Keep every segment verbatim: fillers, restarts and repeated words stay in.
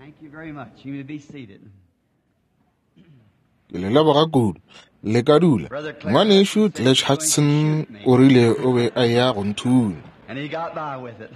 Thank you very much. You may be seated. Ke le leboga kudu. Le ka dula. Ngwanešu Clash Hudson o rile o be a ya go nthunya. And he got by with it.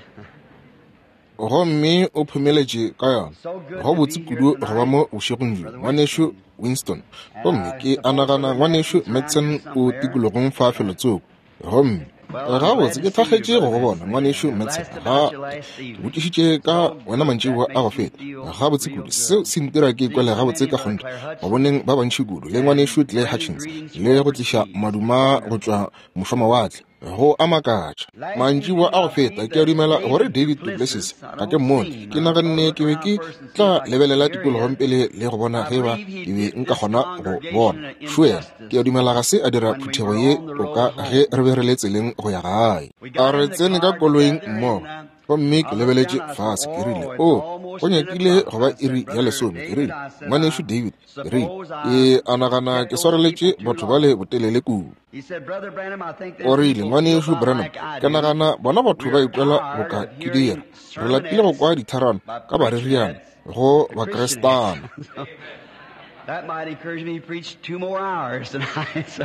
Gomme o phomeletše ka yona. Go botse kudu go ba mo bošegong bjo, ngwanešu Winston. Gomme ke a nagana ngwanešu Madsen o tikologong fa felotsoko. Gomme gabotse ke thakgetše go go bona, ngwanešu Madsen. Ga ke botšišitše ka wena mantšiboa a go feta. Gabotse kudu, seo se ntira ke ikwele gabotse ka kgonthe go boneng ba bantši kudu le ngwanešu Clay Hutchins le go tliša maduma go tšwa mošwamawatle. Go a makatša. Mantšiboa a go feta ke a dumela gore David Duplessis ga ke mmone. Ke naganne ke be ke tla lebelela tikologong pele le go bona ge ba ke be nka kgona go bona. Šuela, ke a dumela ga se a dira phuthego ye toka ge re be re le tseleng go ya gae. A re tsene ka koloing mmogo. Gomme ke lebeletše fase, ke rile, o, go nyakile go ba iri ya lesome. Ke rile, ngwanešu David, ke rile, ke a nagana ke swareletše batho bale botelele kudu. O rile, ngwanešu Branham, ke nagana bona batho ba ikwela boka ke dira. Re lapile go kwa ditharano ka bareriana go bakrestana. That might encourage me to preach two more hours tonight.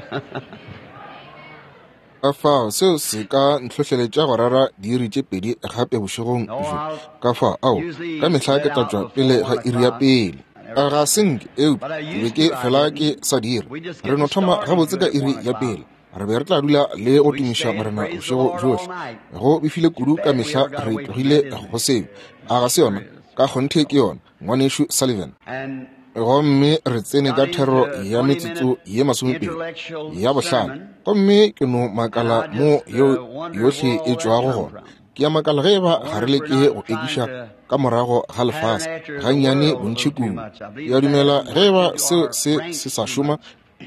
Ka fao seo se ka ntlhohleletša go rera diiri tše pedi gape bošegong bjo. Ka fao, ao, ka mehla ke tla tšwa pele ga iri ya pele. Ga se nke, eupša ke be ke fela ke sa dira. Re no thoma gabotse ka iri ya pele. Re be re tla dula le go tumiša Morena bošego bjohle. Go befile kudu ka mehla re tlogile go seo. A ga se yona? Ka kgonthe ke yona, ngwanešu Sullivan. Gomme re tsene ka thero ya metsotso ye masomepedi ya bohlano. Gomme ke no makala mo yeo yohle e tšwago gona. Ke a makala ge eba ga re leke go ekiša ka morago ga lefase gannyane bontši kudu. Ke a dumela ge eba seo se se sa šoma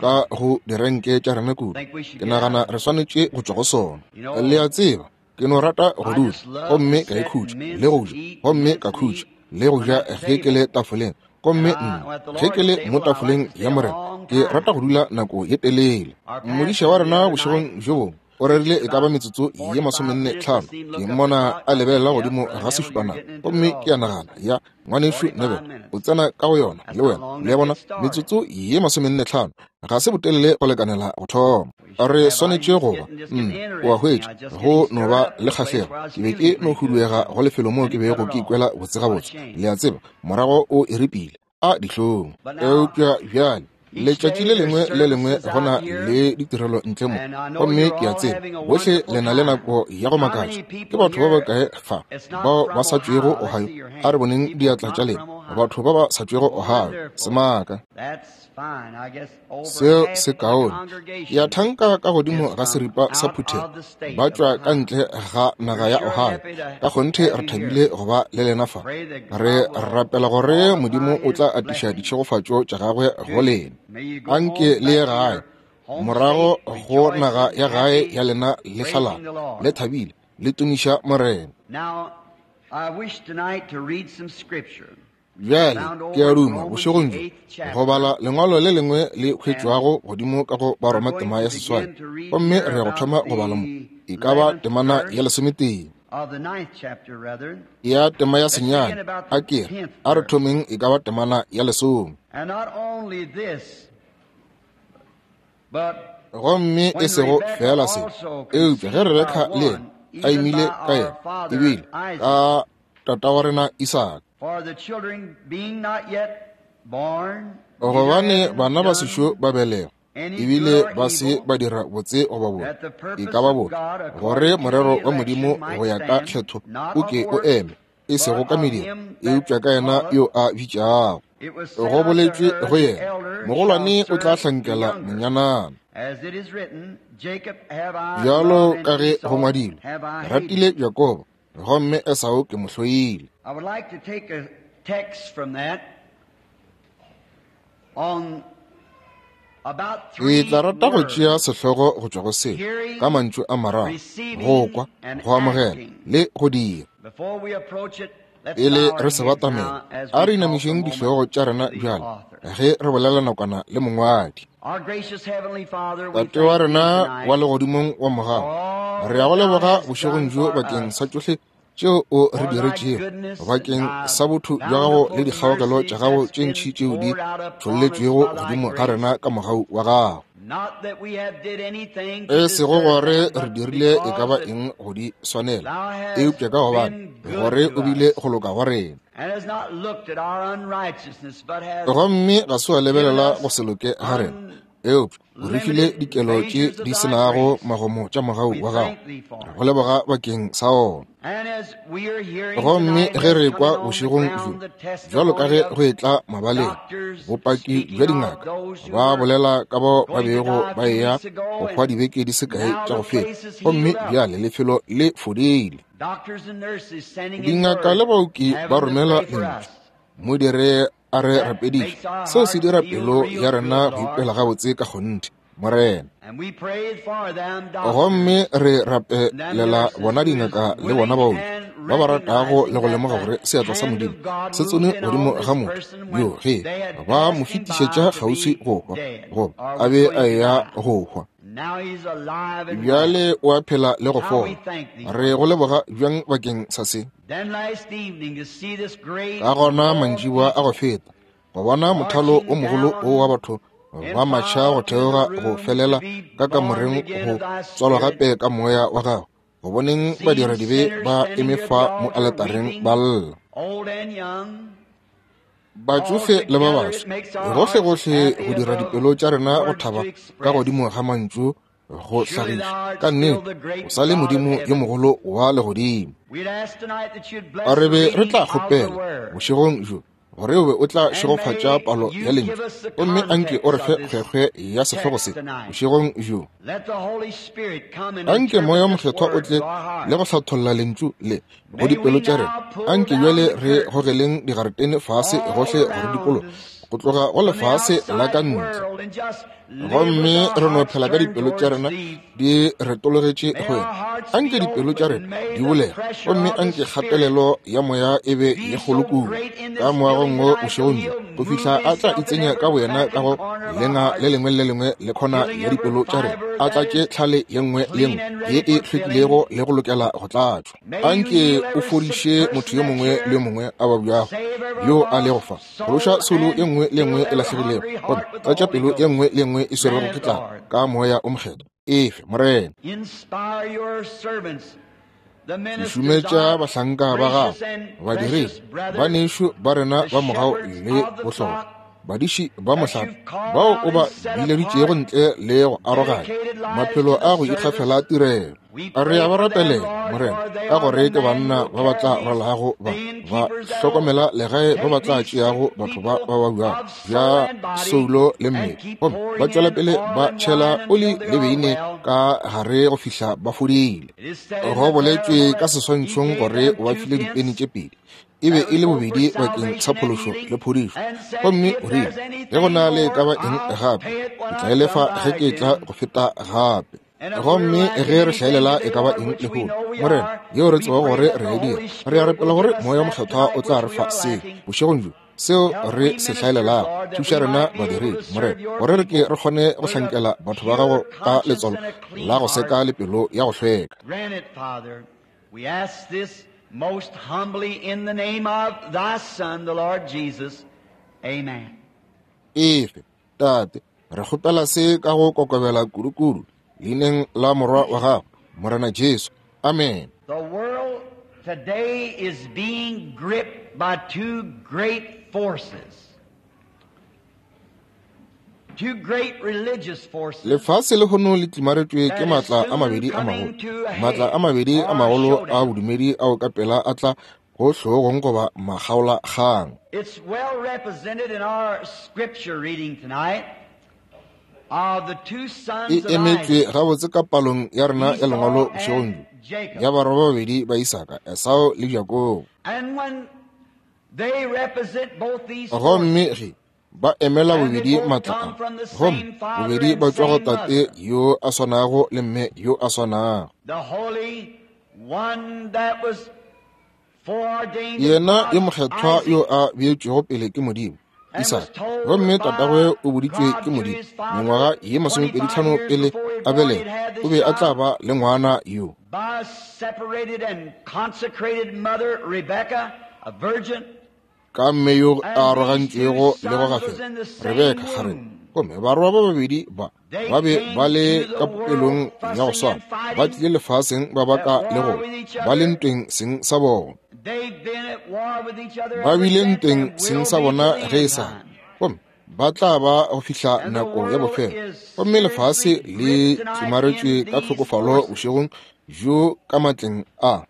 ka go direnke tša rena kudu, ke nagana re swanetše go tšwa go sona. Le a tseba, ke no rata go dula gomme ka ikhutša le go ja, gomme ka khutša le go ja ge ke le tafoleng. Gomme nna ge ke le mo tafoleng ya Morena, ke rata go dula nako ye telele. Modiša wa rena bošegong bjo bongwe o rerile e ka ba metsotso ye masomenne tlhano. Ke mmona a lebelela godimo ga sešupanako, gomme ke a nagana, ya ngwanešu Neville o tsena ka go yona le wena. Le a bona, metsotso ye masomenne tlhano ga se botelele go lekanela go thoma. Re swanetše go ba nna, o a hwetša, go no ba le kgahlego. Ke be ke no huduega go lefelo moo ke bego ke ikwela botse gabotse. Le a tseba, morago o e ripile a dihlong. Eupša bjale letšatši le lengwe le lengwe go na le ditirelo ntle mo, gomme ke a tseba bohle le na le nako ya go makatša. Ke batho ba bakae fa bao ba sa tšwego Ohio? A re boneng diatla tša lena, batho ba ba sa tšwego Ohio. Semaka seo se kaone. Ke a thanka ka godimo ga seripa sa phuthego ba tšwa ka ntle ga naga ya Ohio. Ka kgonthe re thabile go ba le lena fa. Re rapela gore Modimo o tla atiša ditšhegofatšo tša gagwe go lena. Anke le ye gae, morago go naga ya gae ya lena le hlalala, le thabile, le tumiša Morena. Bjale ke a duma bošegong bjo go bala lengwalo le lengwe le hwetšwago godimo ka go Baroma tema ya seswai, gomme re ya go thoma go bala mo e ka ba temana ya lesometee ya tema ya senyane. A ke re a re thomeng e ka ba temana ya lesome. Gomme e sego fela se, eupša ge Rebeka le yena a imile ka yena, ebile ka tata wa rena Isaka. Gobane bana ba sešo ba belegwa, ebile ba se ba dira botse goba bobe, e ka ba bobe, gore morero wa Modimo go ya ka kgetho o ke o eme, e sego ka mediro, eupša ka yena yo a bitšago. Go boletšwe go yena, mogolwane o tla hlankela monyanana. Bjalo ka ge go ngwadilwe, ratile Jakobo, gomme Esau ke mo hloile. I would like to take a text from that on about Ke three tla rata go words. tšea sehlogo go tšwa go se ka mantšu a mararo: go kwa, go amogela le go dira. Before we approach it, let's Pele bow our re se heads batamela, now as a we re talk a inamišeng moment dihlogo tša rena to the bjale author. ge re bolela nakwana le mongwadi. Our gracious Heavenly Father, we Tate wa thank thee rena tonight wa legodimong wa mogau, for all re ya go that thou leboga hast bošegong done bjo for bakeng us. sa tšohle tšeo o re diretšego bakeng sa botho bja gago le dikgaogelo tša gago tše ntši tšeo di tšholletšwego godimo ga rena ka mogau wa gago. E sego gore re dirile e ka ba eng go di swanela, eupša ka gobane gore o bile go loka go rena. Gomme ga se wa lebelela go se loke ga rena, eupša o re file dikelo tše di se nago magomo tša mogau wa gago. Re go leboga bakeng sa ona. Gomme ge re kwa bošegong bjo, bjalo ka ge go etla mabaleng, bopaki bja dingaka ba bolela ka bao ba bego ba eya go hwa dibeke di se kae tša go feta, gomme bjale lefelo le fodile. Dingaka le baoki ba romela lentšu, mo dire a re rapediše. Seo se dira pelo ya rena go ipela gabotse ka kgonthe, Morena. Gomme re rapelela bona dingaka le bona baoki ba ba ratago le go lemoga gore seatla sa Modimo se tsene godimo ga motho yo ge ba mo fetišetša kgauswi go hwa, goba a be a eya go hwa. Bjale o a phela le go fola. Re go leboga bjang bakeng sa se. Ka gona mantšiboa a go feta, go bona mothalo o mogolo o wa batho ba matšha go theoga go felela ka kamoreng go tswalwa gape ka moya wa gago, go boneng badiradibe ba eme fa mo aletareng ba lla, batsofe le ba baswa, gohle-gohle go dira dipelo tša rena go thaba ka godimo ga mantšu go hlagiša. Ka nnete o sa le Modimo yo mogolo wa legodimo. A re be re tla kgopela bošegong bjo gore o be o tla šegofatša palo ya lentšu, gomme anke o re fe kgwekgwe ya sehlogo se bošegong bjo. Anke Moya o Mokgethwa o tle le go hlatholla lentšu le go dipelo tša rena. Anke bjale re gogeleng digaretene fase gohle go re dikologa go tloga go lefase la ka ntle, gomme re no phela ka dipelo tša rena di retologetše go yena. Anke dipelo tša rena di bulege, gomme anke kgatelelo ya moya e be ye kgolo kudu ka moagong wo bošegong bjo, go fihla a tla itsenya ka boyena ka go lenga le lengwe le lengwe le khona ya dipelo tša rena, a tlatše tlhale ye nngwe le ye nngwe ye e hlwekilego le go lokela go tlatšwa. Anke o fodiše motho yo mongwe le yo mongwe a babjago yo a lego fa, phološa soulo ye nngwe le nngwe e lahlegilego, gomme tlatša pelo ye nngwe le nngwe e swerwego ke tlala ka Moya o Mokgethwa. Efe, Morena. Šumetša bahlanka ba gago, badiredi, banešu ba rena ba mogau le bohlokwa, badiši ba mohlape bao o ba bileditšego ntle le go aroganya maphelo a go ikgafela tirelo. Re a ba rapelela, Morena, ka gore ke banna ba ba tla rwalago ba ba hlokomela legae, ba ba tla tšeago batho ba ba babjago bja soulo le mmele, gomme ba tšwela pele ba tšhela oli le beine ka gare go fihla ba fodile. Go boletšwe ka seswantšhong gore o ba file dipeni tše pedi, e be e le bobedi bakeng sa phološo le phodišo, gomme o rile, ge go na le ka ba eng gape, ke tla e lefa ge ke tla go feta gape. Gomme ge re hlaelela e ka ba eng lehono, Morena, yeo re tseba gore re e dira, re a rapela gore Moya o Mokgethwa o tla re fa se bošegong bjo, seo re se hlaelelago. Thuša rena badiredi, Morena, gore re ke re kgone go hlankela batho ba gago ka letswalo la go seka le pelo ya go hlweka. Most humbly in the name of thy Son, the Lord Jesus. Amen. Efe, Tate, re kgopela se ka go kokobela kudu-kudu leineng la Morwa wa gago, Morena Jesu. Amen. The world today is being gripped by two great forces. Two great religious forces. Lefase lehono le tlimaretšwe ke matla a mabedi a magolo, matla a mabedi a magolo a bodumedi ao ka pela a tla go hlogong goba makgaolakgang. It's well represented in our scripture reading tonight of the two sons E of emetšwe Isaac, gabotse ka palong ya rena ya lengwalo bošegong bjo ya barwa ba babedi ba Isaka, Esau le Jakobo. And when they represent both these Gomme forces, ge ba emela bobedi matla a, gomme bobedi ba tšwa go tate yo a swanago le mme yo a swanago. the Holy One that was foreordained of Yena yo God, mokgethwa Isaac, yo a beetšwego pele ke Modimo, Isaka, gomme tatagwe o boditšwe ke Modimo mengwaga ye masomepedi tlhano pele a belegwa, o be a tla ba le ngwana yo. By a separated and consecrated mother, Rebecca, a virgin. Ka mme yo a arogantšwego le go gafela, Rebeka kgarebe. Gomme barwa ba babedi ba ba be ba le ka popelong ya go swana, ba tlile lefaseng ba baka le go ba le ntweng seng sa bona. Ba bile ntweng seng sa bona ge e sa, gomme ba tla ba go fihla nako ya bofelo. Gomme lefase le tsomaretšwe ka tlhokofalo bošegong bjo ka matleng a.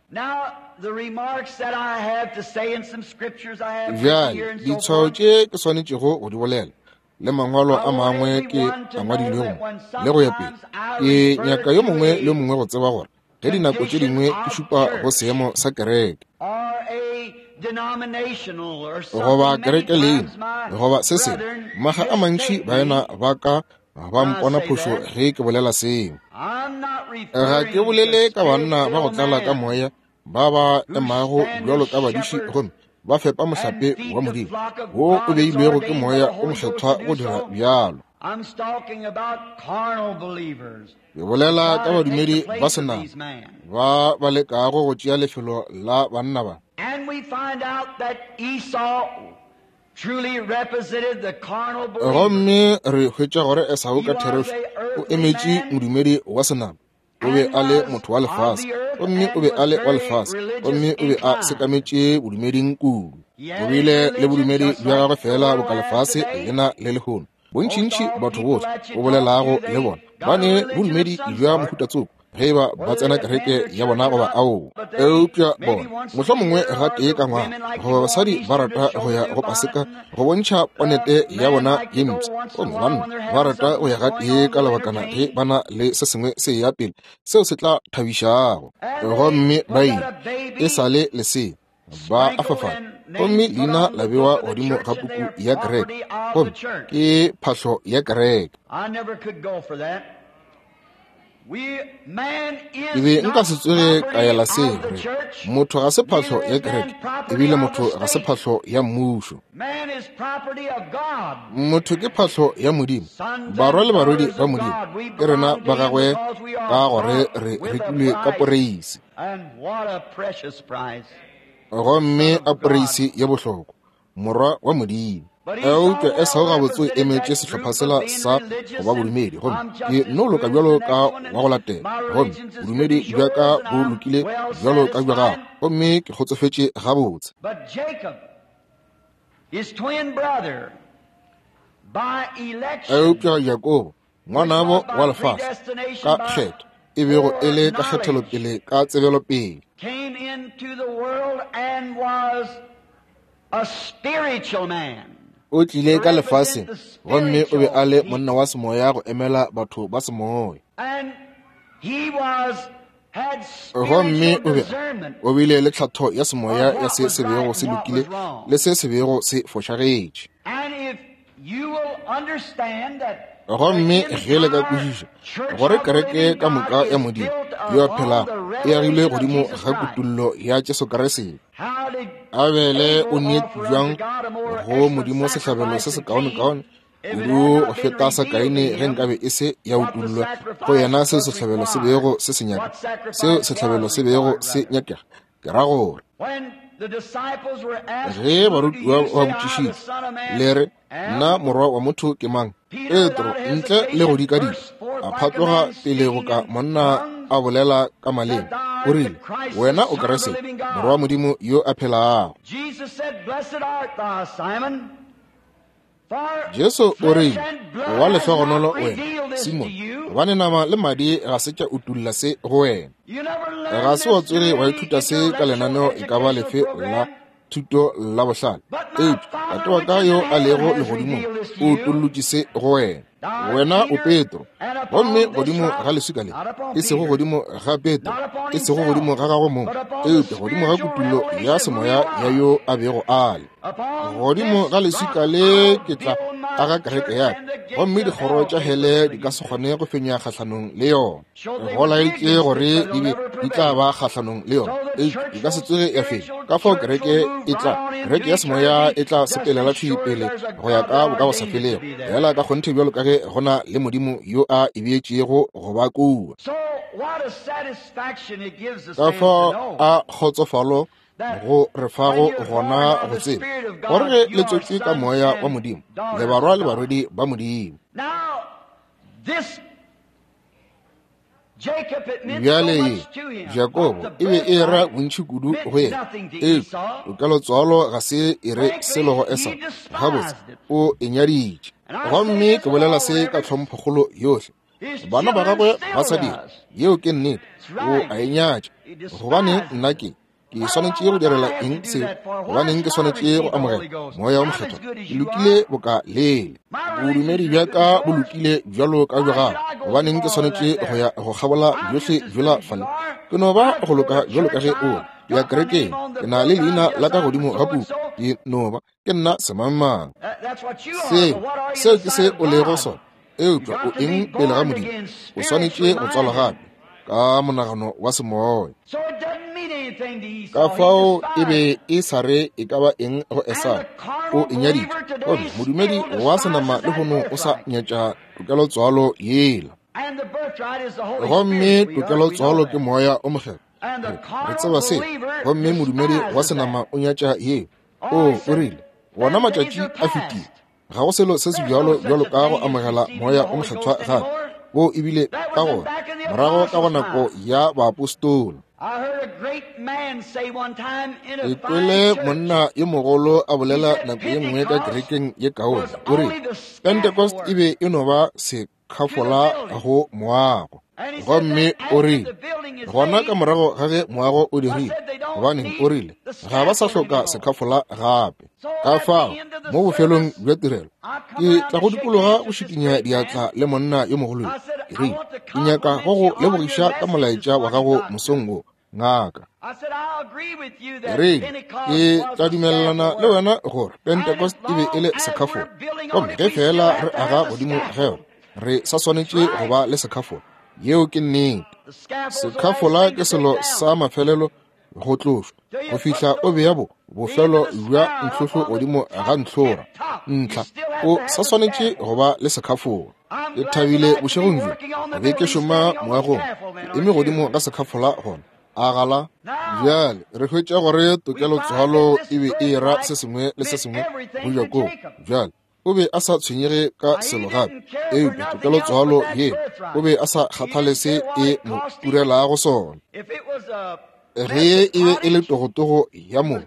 Bjale ditshwao tše ke swanetšego go di bolela le mangwalo a mangwe ke a ngwadilwego le go ya pele. Ke nyaka yo mongwe le mongwe go tseba gore ge dinako tše dingwe ke šupa go seemo sa kereke goba kereke leina goba se sengwe, maga a mantši baena ba ka ba mpona phošo ge ke bolela seo. Ga ke bolele ka banna ba go tlala ka moya ba ba emago bjalo ka badiši gomme ba fepa mohlape wa Modimo wo o beilwego ke moya o mokgethwa go dira bjalo. Ke bolela ka badumedi ba senama ba ba lekago go tšea lefelo la banna ba. Gomme re hwetša gore Esau ka therešo o emetše modumedi wa senama. O be a le motho wa lefase, gomme o be a le wa lefase, gomme o be a sekametše bodumeding kudu. O bile le bodumedi bja gagwe fela boka lefase lena le lehono. Bontšintši batho bohle o bolelago le bona ba ne bodumedi bja mohuta-tsoko ge ba ba tsena kereke ya bona goba ao. Eupša bona mohlomongwe gatee ka ngwaga goba basadi ba rata go ya go paseka go bontšha ponete ya bona ye mpsha, gomme banna ba rata go ya gatee ka lebakana ge ba na le se sengwe se ya pele seo se tla thabišago. Gomme ba ile e sa le lesea ba a fafala, gomme leina la bewa godimo ga puku ya kereke, gomme ke phahlo ya kereke. Ke be nka se tsoge ka ela seo re motho ga se phahlo ya kereke, ebile motho ga se phahlo ya mmušo. Motho ke phahlo ya Modimo. Barwa le barwedi ba Modimo ke rena ba gagwe ka gore re rekilwe ka poreisi. Gomme a poreisi ye bohlokwa, morwa wa Modimo. Eupša Esau gabotse o emetše sehlopha sela sa go ba bodumedi, gomme ke no loka bjalo ka wa go latela, gomme bodumedi bja ka bo lokile bjalo ka bja gago, gomme ke kgotsofetše gabotse. Eupša Jakobo, ngwanabo wa lefase, ka kgetho e bego e le ka kgethelopele ka tsebelopele, o tlile ka lefaseng gomme o be a le monna wa semoya go emela batho ba semoya. Gomme o be o bile le tlhatho ya semoya ya se se bego se lokile le se se bego se fošagetše. Gomme ge le ka kwešiša gore kereke ka moka ya Modimo yo a phelago e agilwe godimo ga kutollo ya Jesu Kriste. Abele o neetše bjang go Modimo sehlabelo se sekaonekaone kudu go feta sa Kaine ge nkabe e se ya utollwa go yena seo sehlabelo se bego se se nyaka, seo sehlabelo se bego se nyakega. Ke ra gore ge barutiwa ba botšišitše le re nna morwa wa motho ke mang, Petro ntle le go dikadika a phatloga pele go ka monna a bolela ka maleme, o rile, wena o Kriste, morwa wa Modimo yo a phelago. Jesu o rile, wa lehlogonolo wena Simon, gobane nama le madi ga se tša utolla se go wena. Ga se wa tsoge wa ithuta se ka lenaneo e ka ba lefe la thuto la bohlale, eupša Tate wa ka yo a lego legodimong o utollotše se go wena. Wena o Petro, gomme godimo ga leswika le, e sego godimo ga Petro, e sego godimo ga gagwe mong, eupša godimo ga kutullo ya semoya ya yo a bego a le. Godimo ga leswika le ke tla aga kereke ya ka, gomme dikgoro tša hele di ka se kgone go fenya kgahlanong le yona. Go laetše gore di be di tla ba kgahlanong le yona, eupša di ka se tsoge ya fenya. Ka fao kereke e tla, kereke ya semoya e tla sepelela thwi pele go ya ka bokagosafelego, fela ka kgonthe bjalo ka ge go na le Modimo yo a e beetšego go ba kua. Ka fao a kgotsofalo go re fago gona go tseba gore ge le tswetšwe ka moya wa Modimo, le barwa le barwedi ba Modimo. Bjale Jakobo e be e ra bontši kudu go yena, eupša tokelotswalo ga se e re selo go Esau. Gabotse o e nyaditše. Gomme ke bolela se ka tlhomphokgolo yohle. Bana ba gagwe ba sa dira, yeo ke nnete, o a e nyatša. Gobane nna ke ke swanetše go direla eng se? Gobaneng ke swanetše go amogela Moya wo Mokgethwa? Ke lokile boka lele. Bodumedi bja ka bo lokile bjalo ka bja gago. Gobaneng ke swanetše go ya go kgabola bjohle bjola fale? Ke no ba go loka bjalo ka ge o le. Ke ya kerekeng, ke na le leina la ka godimo ga puku. Ke no ba ke nna semangmang. Seo, seo ke se o lego sona. Eupša o eng pele ga Modimo? O swanetše go tswalwa gape ka monagano wa semoya. Ka fao e be e sa re e ka ba eng go Esau, o e nyaditše. Gomme modumedi wa senama lehono o sa nyatša tokelotswalo yela. Gomme tokelotswalo ke Moya o Mokgethwa. Re tseba se. Gomme modumedi wa senama o nyatša yeo. O o rile, wona matšatši a fetile, ga go selo se se bjalo bjalo ka go amogela Moya o Mokgethwa gape. Wo ebile ka gona morago ka go nako ya baapostola. Ke kwele monna yo mogolo a bolela nako ye nngwe ka kerekeng ye kaone. O rile Pentecost e be e no ba sekhafola go moago. Gomme o rile gona ka morago ga ge moago o dirile, gobaneng o rile ga ba sa hloka sekhafola gape. Ka fao mo bofelong bja tirelo ke tla go dikologa go šikinya diatla le monna yo mogolo yo. Ke rile, ke nyaka go go lebogiša ka molaetša wa gago mosong wo, ngaka. Ke rile, ke tla dumelelana le wena gore Pentecost e be e le sekhafola, gomme ge fela re aga godimo ga yona, re sa swanetše go ba le sekhafola. Yeo ke nnete. Sekhafola ke selo sa mafelelo go tlošwa go fihla o bea bo bofelo bja ntlhohlo godimo ga ntlhora ntlha. O sa swanetše go ba le sekhafola. Ke thabile bošegong bjo be ke šoma moagong, ke eme godimo ga sekhafola gona a gala. Bjale re hwetša gore tokelotswalo e be e ra se sengwe le se sengwe go Jakobo. Bjale o be a sa tshwenyege ka selo gape, eupša tokelotswalo ye o be a sa kgathale se e mo turelago sona. Ge e be e le togotogo ya moo,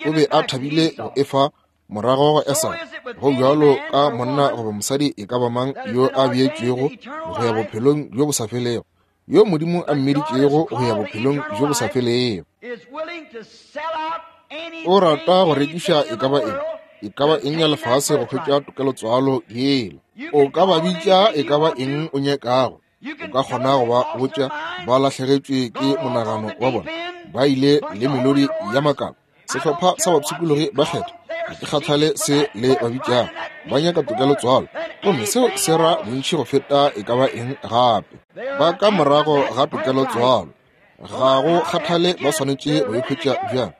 o be a thabile go efa morago go Esau. Go bjalo ka monna goba mosadi e ka ba mang yo a beetšwego go ya bophelong bjo bo sa felego, yo Modimo a mmeditšego go ya bophelong bjo bo sa felego. O rata go rekiša e ka ba eng, e ka ba eng ya lefase go hwetša tokelotswalo yela. O ka ba bitša e ka ba eng o nyakago. O ka kgona go ba botša ba lahlegetšwe ke monagano wa bona, ba ile le melodi ya makala. Sehlopha sa bapshikologi ba kgetha, ga ke kgathale se le ba bitšago, ba nyaka tokelotswalo, gomme seo se ra bontši go feta e ka ba eng gape. Ba ka morago ga tokelotswalo, ga go kgathale ba swanetše go e hwetša bjang,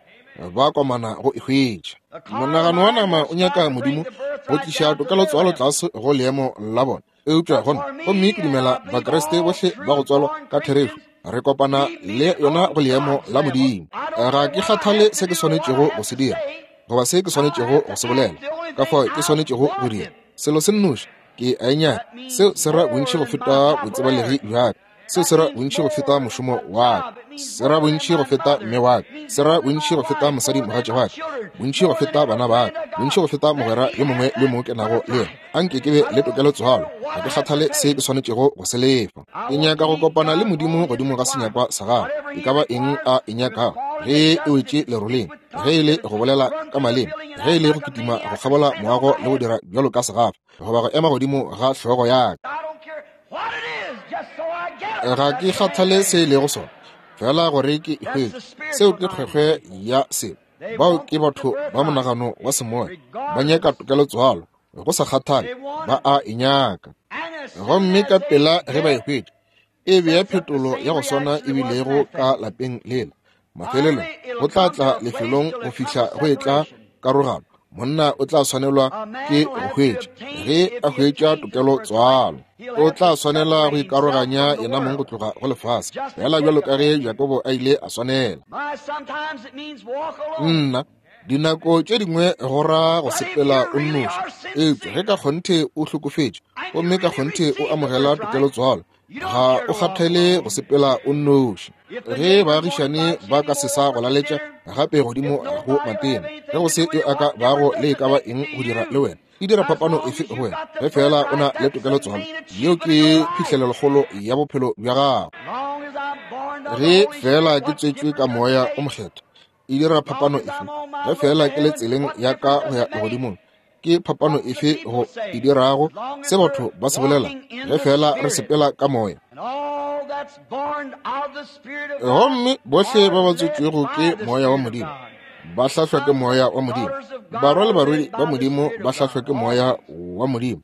ba komana go e hwetša. Monagano wa nama o nyaka Modimo go tliša tokelotswalo tlase go leemo la bona. Eupša gona, gomme ke dumela Bakriste bohle ba go tswalwa ka therešo, re kopana le yona go leemo la Modimo. Ga ke kgathale se ke swanetšego go se dira goba se ke swanetšego go se bolela, ka fao ke swanetšego go dira selo se nnoši, ke a e nyaka. Seo se ra bontši go feta botsebalegi bja ka. Seo se ra bontši go feta mošomo wa ka. Se ra bontši go feta mme wa ka. Se ra bontši go feta mosadi mogatša wa ka. Bontši go feta bana ba ka. Bontši go feta mogwera yo mongwe le mongwe ke nago le yena. Anke ke be le tokelotswalo, ga ke kgathale se ke swanetšego go se lefa. Ke nyaka go kopana le Modimo godimo ga senyakwa sa gagwe, e ka ba eng a e nyakago, ge e wetše leroleng, ge e le go bolela ka maleme, ge e le go kitima go kgabola moago le go dira bjalo ka segafa, goba go ema godimo ga hlogo ya ka. Ga ke kgathale se e lego sona, fela gore ke e hwetše. Seo ke kgwekgwe ya selo. Bao ke batho ba monagano wa semoya, ba nyaka tokelotswalo Go sa kgathale, ba a e nyaka. Gomme ka pela ge ba e hwetša, e bea phetolo ya go swana e bilego ka lapeng lela. Mafelelong go tla tla lefelong go fihla go e tla karogano. Monna o tla swanelwa ke go hwetša ge a hwetša tokelo tswalo. O tla swanela go ikaroganya yena mong go tloga go lefase, fela bjalo ka ge Jakobo a ile a swanela. Nna, dinako tše dingwe go ra go sepela o nnoši, eupša ge ka kgonthe o hlokofetše gomme ka kgonthe o amogela tokelo tswalo, ga o kgathale go sepela o nnoši. Ge baagišane ba ka se sa go laletša gape godimo go matena, ge go se yo a ka bago le e ka ba eng go dira le wena, e dira phapano efe go wena? Ge fela o na le tokelo tswalo, yeo ke phihlelelokgolo ya bophelo bja gago. Ge fela ke tswetšwe ka moya o mokgethwa, e dira phapano efe? Ge fela ke le tseleng ya ka go ya legodimong, ke phapano efe go e dirago se batho ba se bolela? Ge fela re sepela ka moya. Gomme bohle ba ba tswetšwego ke moya wa Modimo ba hlahlwa ke moya wa Modimo. Barwa le barwedi ba Modimo ba hlahlwa ke moya wa Modimo.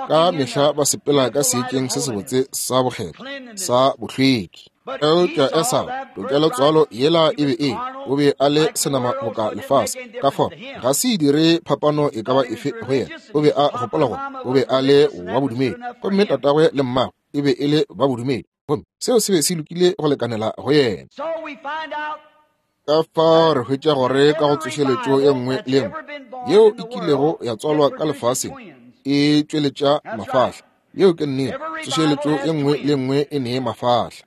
Ka mehla ba sepela ka seetšeng se sebotse sa bokgethwa sa bohlweki. Eupša Esau, tokelo tswalo yela e be e, o be a le senama boka lefase. Ka fao ga se e dire phapano e ka ba efe go yena. O be a gopola gore o be a le wa bodumedi, gomme tatagwe le mmagwe e be e le ba bodumedi, gomme seo se be se lokile go lekanela go yena. Ka fao re hwetša gore ka go tsošeletšo ye nngwe le nngwe yeo e kilego ya tswalwa ka lefaseng e tšweletša mafahla. Yeo ke nnete. Tsošeletšo ye nngwe le nngwe e nee mafahla.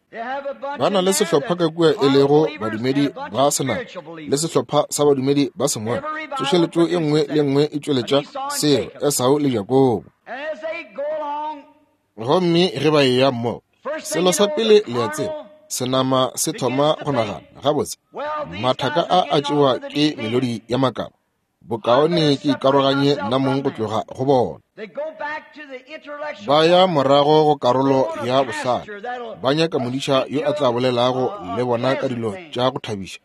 Ba na le sehlopha ka kua e lego badumedi ba senama le sehlopha sa badumedi ba semoya. Tsošeletšo ye nngwe le nngwe e tšweletša seo, Esau le Jakobo. Gomme ge ba eya mmogo, selo sa pele le a tseba, senama se thoma go nagana, gabotse, mathaka a a tšewa ke melodi ya makaba. Bokaone ke ikaroganye nna mong go tloga go bona. Ba ya morago go karolo ya bohlale, ba nyaka modiša yo a tla bolelago le bona ka dilo tša go thabiša.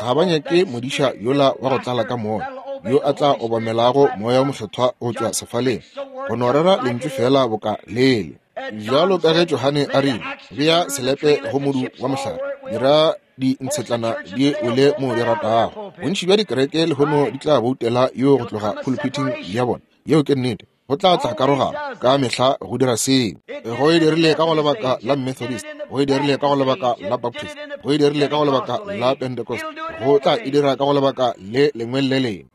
Ga ba nyake modiša yola wa go tlala ka moya, yo a tla obamelago moya o mokgethwa go tšwa sefaleng, go no rera lentšu fela boka lele. Bjalo ka ge Johane a rile, bea selepe go modu wa mohlare, dira dintshetlana di wele mo di ratago. Bontši bja dikereke lehono di tla boutela yo go tloga pulpiting ya bona. Yeo ke nnete. Go tla tla karogano ka mehla go dira seo. Go e dirile ka go lebaka la Methodist, go e dirile ka go lebaka la Baptist, go e dirile ka go lebaka la Pentecost, go tla e dira ka go lebaka le lengwe le lengwe.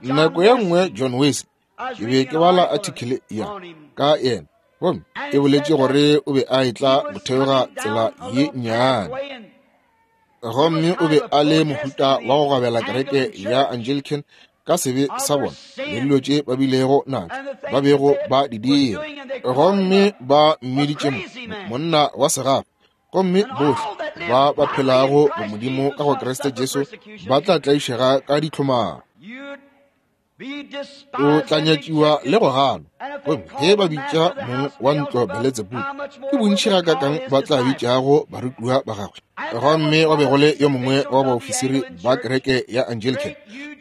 Nako ye nngwe John Wesley, ke be ke bala article ya ka yena, gomme e boletše gore o be a etla go theoga tsela ye nnyane. Gomme o be a le mohuta wa go gabela kereke ya Anglican ka sebe sa bona le dilo tše ba bilego natšo, ba bego ba di dira. Gomme ba mmiditše monna wa segafa. Gomme bohle ba ba phelago bo Modimo ka go Kriste Jesu ba tla tlaišega ka ditlhomaro. O tla nyatšiwa le go ganwa. Gomme ge ba bitša mong wa ntlo Beletsebubu, ke bontši gakakang ba tla bitšago barutiwa ba gagwe. Gomme go be go le yo mongwe wa baofisiri ba kereke ya Anglican,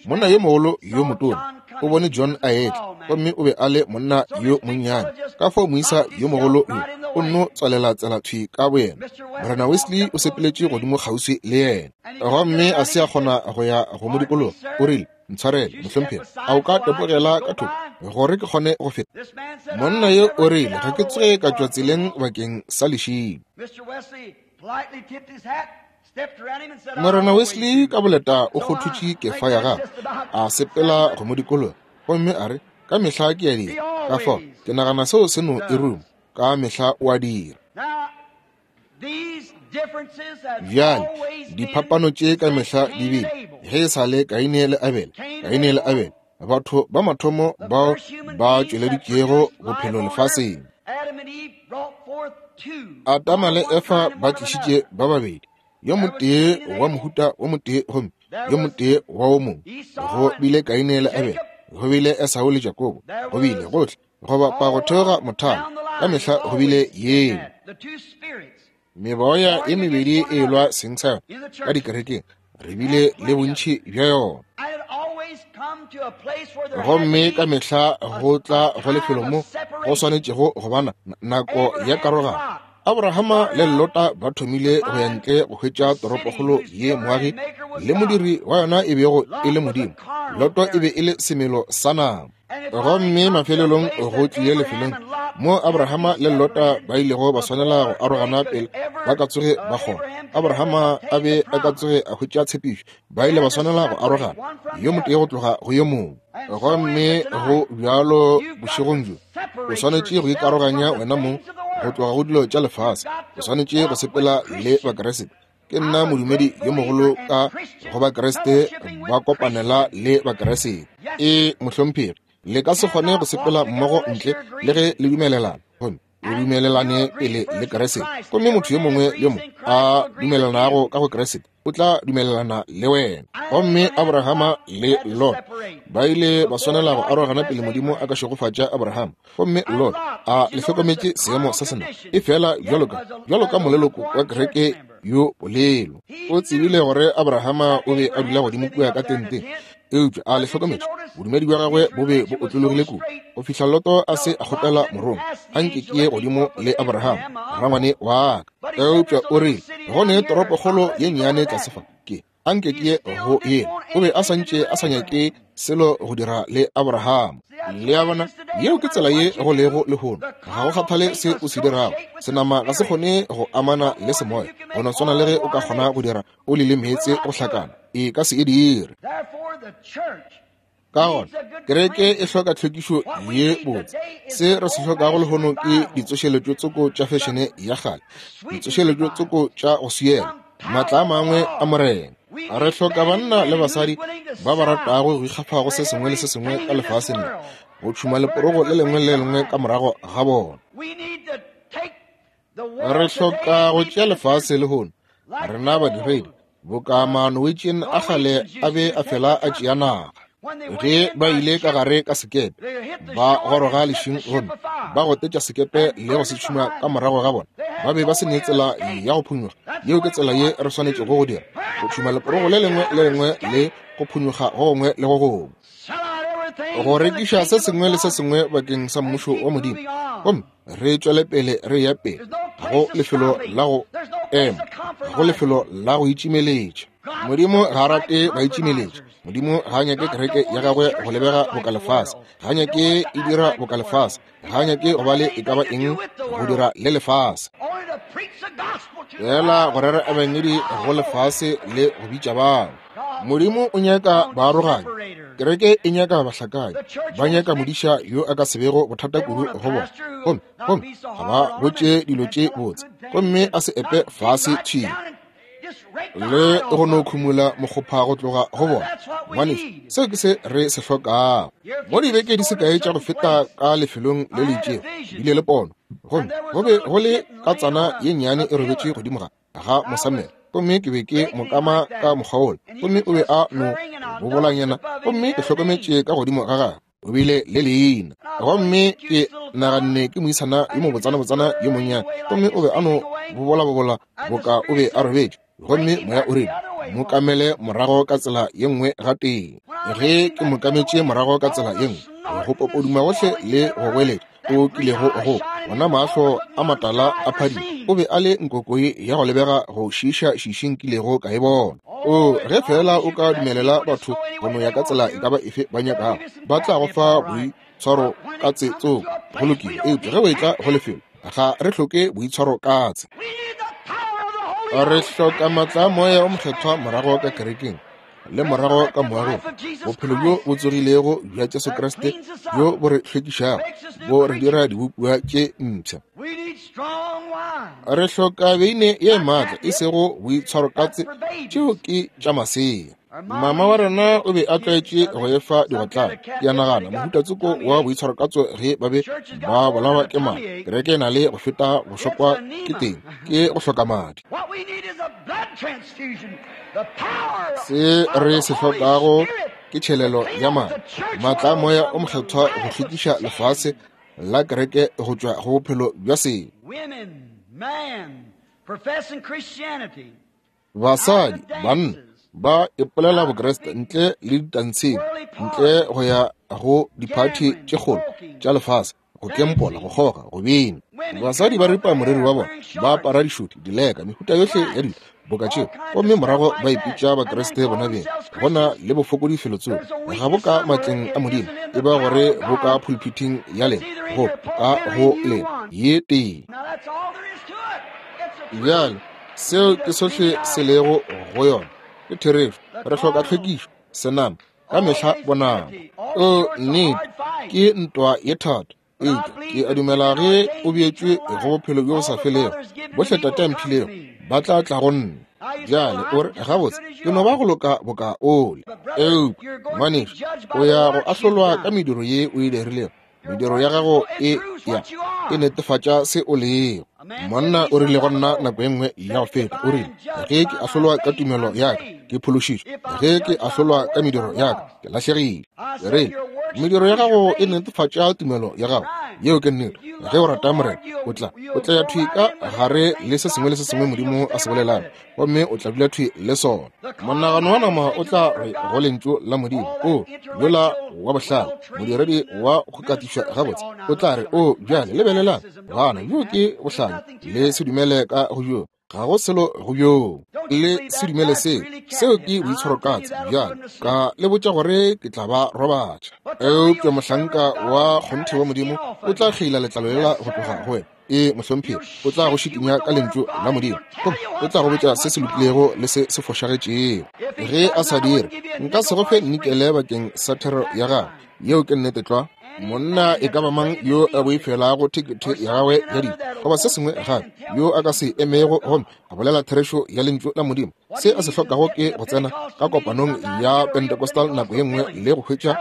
monna yo mogolo yo motona, o bone John a etla, gomme o be a le monna yo monnyane. Ka fao moisa yo mogolo yo o nno tswalela tsela thwi ka boyena. Morena Wesley o sepeletše godimo kgauswi le yena, gomme a se a kgona go ya go mo dikologa. O rile, ntshwarele mohlomphegi, a o ka tepogela ka thoko gore ke kgone go feta? Monna yo o rile, ga ke tsoge ka tšwa tseleng bakeng sa lešilo. Morena Wesley ka boleta o kgothutše kefa ya gagwe, a sepela go mo dikologa, gomme a re, ka mehla ke a dira. Ka fao ke nagana seo se no e ruma, ka mehla o a dira. Bjale diphapano tše ka mehla di bile ge e sa le Kaine le Abele. Kaine le Abele, batho ba mathomo bao ba tšweleditšego bophelo lefaseng. Adama le Efa ba tlišitše ba babedi, yo motee wa mohuta wo motee gomme yo motee wa wo mongwe. Go bile Kaine le Abele, go bile Esau le Jakobo, go bile gohle go bapa go theoga mothalo, ka mehla go bile yeo. Meboya e mebedi e lwa seng sa yona ka dikerekeng, re bile le bontši bja yona. Gomme ka mehla go tla go lefelo mo go swanetšego go bana nako ya karogano. Abrahama le Lota ba thomile go ya ntle go hwetša toropokgolo ye moagi le modiri wa yona e bego e le Modimo. Loto e be e le semelo sa nama. Gomme mafelelong go tlile lefelong mo Abrahama le Lota ba ilego ba swanela go arogana pele ba ka tsoge ba kgona. Abrahama a be a ka tsoge a hwetša tshepišo, ba ile ba swanela go arogana, yo motee go tloga go yo mongwe. Gomme go bjalo bošegong bjo, o swanetše go ikaroganya wena mong go tloga go dilo tša lefase. O swanetše go sepela le Bakriste. Ke nna modumedi yo mogolo ka go Bakriste ba kopanela le Bakriste. E mohlomphegi, le ka se kgone go sepela mmogo ntle le ge le dumelelana. Gomme le dumelelane pele le Kriste. Gomme motho yo mongwe yo mongwe a dumelelanago ka go Kriste o tla dumelelana le wena. Gomme Abrahama le Lot ba ile ba swanela go arogana pele Modimo a ka šegofatša Abrahama. Gomme Lot a le hlokometše seemo sa sena, e fela bjalo ka bjalo ka moleloko wa kereke yo polelo. O tsebile gore Abrahama o be a dula godimo kua ka tenteng, eupša a le hlokometše bodumedi bja gagwe bo be bo otlologile kudu go fihla Loto a se a kgopela morongwa, a nke ke ye godimo le Abrahama rangwane wa ka. Eupša o rile go ne toropokgolo ye nnyane tlase fa, ke a nke ke ye go yena. O be a santše a sa nyake selo go dira le Abrahama. Le a bona, yeo ke tsela ye go lego lehono. Ga go kgathale se o se dirago, senama ga se kgone go amana le semoya. Go no swana le ge o ka kgona go dira oli le meetse go hlakana, e ka se e dire. Ka gona kereke e hloka tlhwekišo ye botse. Se re se hlokago lehono ke ditsošeletšo tsoko tša fešene ya kgale, ditsošeletšo tsoko tša go swiela, maatla a mangwe a Morena. Re hloka banna le basadi ba ba ratago go ikgafa go se sengwe le se sengwe ka lefaseng le, go tšhuma leporogo le lengwe le lengwe ka morago ga bona. Re hloka go tšea lefase lehono, rena badiredi, boka Manorwegian a kgale a be a fela a tšea naga. Ge ba ile ka gare ka sekepe, ba goroga lešing gomme ba gotetša sekepe le go se tšhuma ka morago ga bona. Ba be ba se ne tsela ya go phunyoga. Yeo ke tsela ye re swanetšego go dira, go tšhuma leporogo le lengwe le lengwe le go phunyoga go gongwe le go gongwe, go rekiša se sengwe le se sengwe bakeng sa mmušo wa Modimo. Gomme re tšwele pele re ya pele, ga go lefelo la go ema, ga go lefelo la go itšimeletša. Modimo ga a rate baitšimeletši. Modimo ga a nyake kereke ya gagwe go lebega boka lefase, ga a nyake e dira boka lefase, ga a nyake go ba le e ka ba eng go dira le lefase. Fela go rera ebangedi go lefase le go bitša bao. Modimo o nyaka baaroganye, kereke e nyaka bahlakanyi, ba nyaka modiša yo a ka se bego bothata kudu go bona, gomme gomme ga ba botše dilo tše botse, gomme a se epe fase thwi le go no khumula mokgopha go tloga go bona. Ngwanešu, seo ke se re se hlokago. Mo dibeke di se kae tša go feta ka lefelong le le itšego, bile le pono, gomme go be go le katsana ye nnyane e robetše godimo ga ga mosamelo. Gomme ke be ke mokama ka mokgwa wola, gomme o be a no bobolanyana, gomme ke hlokometše ka godimo ga gagwe o bile le leina. Gomme ke naganne ke moisana yo mobotsana-botsana yo monnyane, gomme o be a no bobola-bobola boka o be a robetše. Gomme moya o rile, mo kamele morago ka tsela ye nngwe gatee. Ge ke mo kametše morago ka tsela ye nngwe, go popoduma gohle le go goeletša o kilego go bona mahlo a matala a phadima, o be a le nkokoi ya go lebega go šiiša šiši nkilego ka e bona. O ge fela o ka dumelela batho go no ya ka tsela e ka ba efe ba nyakago, ba tla go fa boitshwaro ka tse tsoko, go lokile. Eupša ge o etla go lefelo, ga re hloke boitshwaro ka tse. Re hloka maatla a Moya o Mokgethwa morago ka kerekeng le morago ka moagong, bophelo bjo bo tsogilego bja Jesu Kriste bjo bo re hlwekišago, bo re dira dibopiwa tše mpsha. Re hloka beine ye maatla, e sego boitshwarokatse, tšeo ke tša masea. Mama wa rena o be a tlwaetše go efa digotlane. Ke a nagana mohuta tsoko wa boitshwarokatso ge ba be ba bolawa ke madi. Kereke e na le go feta go šokwa ke teng, ke go hloka madi. Se re se hlokago ke tšhelelo ya madi, maatla a Moya o Mokgethwa go hlwekiša lefase la kereke go tšwa go bophelo bja sebe. Basadi, banna Ba ipolela Bokriste ntle le ditantsheng, ntle go ya go diphathi tše kgolo tša lefase, go kempola, go kgoga, go bina. Basadi ba ripa moriri wa bona, ba apara dišoti, dileka, mehuta yohle ya dilo boka tšeo, gomme morago ba ipitša Bakriste bona beng. Go na le bofokodi felotsoko, ga bo ka matleng a Modimo, e ba gore bo ka pulpiting ya lena, go ka go lena ye tee. Bjale seo ke sohle se lego go yona, ke therešo. Re hloka tlhwekišo, senama, ka mehla bonama. O nnete, ke ntwa ye thata. Eupša ke a dumela ge o beetšwe go bophelo bjo bo sa felego, bohle Tate a mphilego ba tla tla go nna. Bjale o re, gabotse, ke no ba go loka boka ole. Eupša ngwanešu, o ya go ahlolwa ka mediro ye o e dirilego. Mediro ya gago e ya e netefatša se o lego. Monna o rile go nna nako e nngwe ya go feta, o rile, ge ke ahlolwa ka tumelo ya ka, ke phološitšwe. Ge ke ahlolwa ka mediro ya ka, ke lahlegile. Ke rile, mediro ya gago e netefatša tumelo ya gago. Yeo ke nnete. Ge o rata Morena, o tla o tla ya thwi ka gare le se sengwe le se sengwe Modimo a se bolelago, gomme o tla dula thwi le sona. Monagano wa nama o tla re go lentšu la Modimo, o yola wa bohlale, modiredi wa go katišwa gabotse, o tla re, o bjale lebelelang, bana, bjo ke bohlale, le se dumele ka go bjo, ga go selo go bjo, le se dumele seo, seo ke boitshwarokatse. Bjale ka le botša gore ke tla ba robatša. Eupša mohlanka wa kgonthe wa Modimo o tla kgeila letlalo lela go tloga go wena. E mohlomphegi, o tla go šikinya ka lentšu la Modimo, gomme o tla go botša se se lokilego le se se fošagetšego. Ge a sa dire, nka se go fe nikele bakeng sa thero ya gagwe. Yeo ke nnete tlwa. Monna e ka ba mang yo a boifelago thekethe ya gagwe ya dijo goba se sengwe gape, yo a ka se emego gomme a bolela therešo ya lentšu la Modimo, se a se hlokago ke go tsena ka kopanong ya Pentecostal nako ye nngwe le go hwetša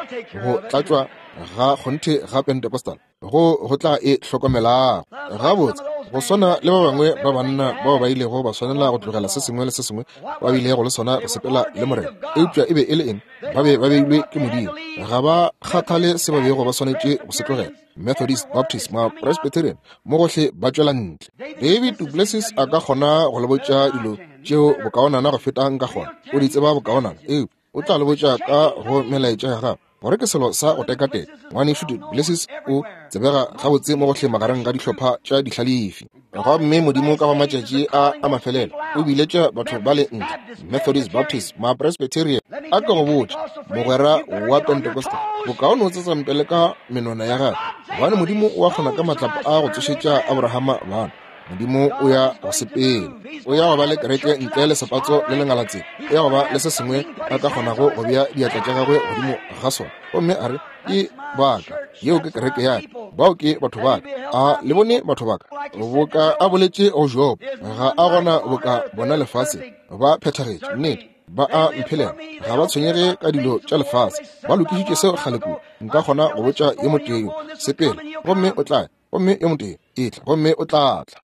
go tlatšwa ga kgonthe ga Pentecostal, go go tla e hlokomelago gabotse, go swana le ba bangwe ba banna bao ba ilego ba swanela go tlogela se sengwe le se sengwe ba bilego le sona go sepela le Morena. Eupša e be e le eng? Ba be ba beilwe ke Modimo. Ga ba kgathale se ba bego ba swanetše go se tlogela. Methodist, Baptist, ma Presbyterian, mo gohle ba tšwela ntle. David Duplessis a ka kgona go le botša dilo tšeo bokaonana go feta nka kgona. O di tseba bokaonana, eupša o tla le botša ka go melaetša ya gagwe gore ke selo sa go tekateka. Ngwanešu Duplessis o tsebega gabotse mo gohle magareng ga dihlopha tša dihlalefi. Gomme Modimo ka go matšatši a a mafelelo o biletša batho ba le ntle, Methodist, Baptist, ma Presbyterian. A ke go botše, mogwera wa Pentecostal, bokaone o tsetsampele ka menwana ya gagwe, gobane Modimo o a kgona ka matlapa a go tsošetša Abrahama bana. Modimo o ya go sepela, o ya go ba le kereke ntle le sepatso le lengalatseng, o ya go ba le se sengwe a ka kgonago go bea diatla tša gagwe godimo ga sona, gomme a re, ke baka, yeo ke kereke ya ka, bao ke batho ba ka. A le bone batho ba ka boka a boletše go Job, ga a gona boka bona lefase, ba phethagetše, nnete, ba a mphelela, ga ba tshwenyege ka dilo tša lefase, ba lokišitše seo kgale kudu. Nka kgona go botša yo motee yo, sepela, gomme o tla, gomme yo motee etla, gomme o tla tla.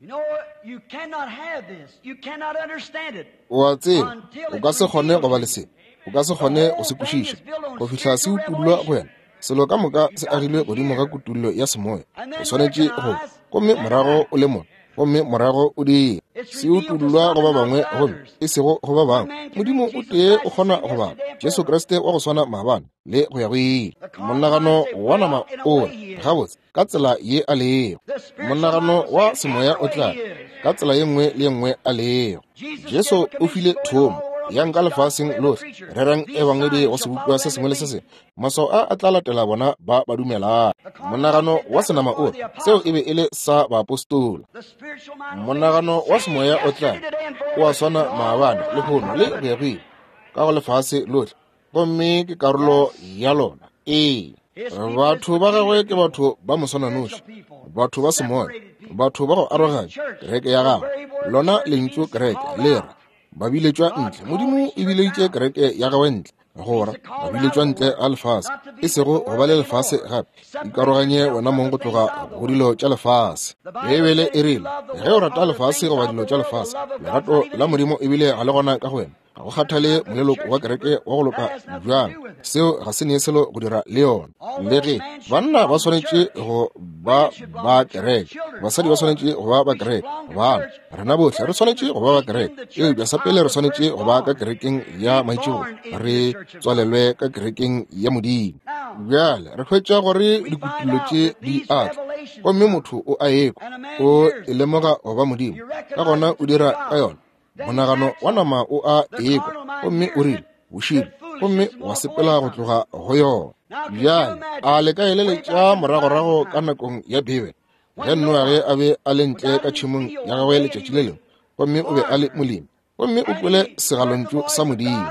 O a tseba, o ka se kgone go ba le se, o ka se kgone go se kwešiša go fihla se utollwa go wena. Selo ka moka se agilwe godimo ga kutollo ya semoya. O swanetše go, gomme morago o le mona, gomme morago o dira. Se utollwa go ba bangwe gomme e sego go ba bangwe. Modimo o tee o kgona go bala, Jesu Kriste wa go swana maabane le go ya go ile. Monagano wa nama o re, gabotse, ka tsela ye a lego. Monagano wa semoya o tla ka tsela ye nngwe le ye nngwe a lego. Jesu o file thomo, yang ka lefaseng lohle, rerang ebangedi go sebopiwa se sengwe le se sengwe. Maswao a a tla latela bona ba ba dumelago. Monagano wa senama o re, seo e be e le sa baapostola. Monagano wa semoya o tla o a swana maabane, lehono le go ya go ile, ka go lefase lohle, gomme ke karolo ya lona. Ee, batho ba gagwe ke batho ba moswananoši, batho ba semoya, batho ba go aroganya kereke ya gagwe. Lona lentšu kereke le re ba biletšwa ntle. Modimo e bileditše kereke ya gagwe ntle, gora ba biletšwa ntle a lefase, e sego go ba le lefase gape. Ikaroganye wena mong go tloga go dilo tša lefase. Beibele e rile, ge o rata lefase goba dilo tša lefase, lerato la Modimo ebile ga le gona ka go wena. Ga go kgathale moleloko wa kereke wa go loka bjang, seo ga se ne selo go dira le yona. Le ge banna ba swanetše go ba ba kereke, basadi ba swanetše go ba ba kereke, bana rena bohle re swanetše go ba ba kereke, eupša sa pele re swanetše go ba ka kerekeng ya maitšigo, re tswalelwe ka kerekeng ya Modimo. Bjale re hwetša gore dikutullo tše di a tla, gomme motho o a ekwa, o e lemoga go ba Modimo, ka gona o dira ka yona. Monagano wa nama o a ekwa, gomme o rile bošilo, gomme wa sepela go tloga go yona. Bjale a le ka eleletša moragorago ka nakong ya Bibele, ge Noage a be a le ntle ka tšhemong ya gagwe letšatši le lengwe, gomme o be a le molemi, gomme o kwele segalontšu sa Modimo.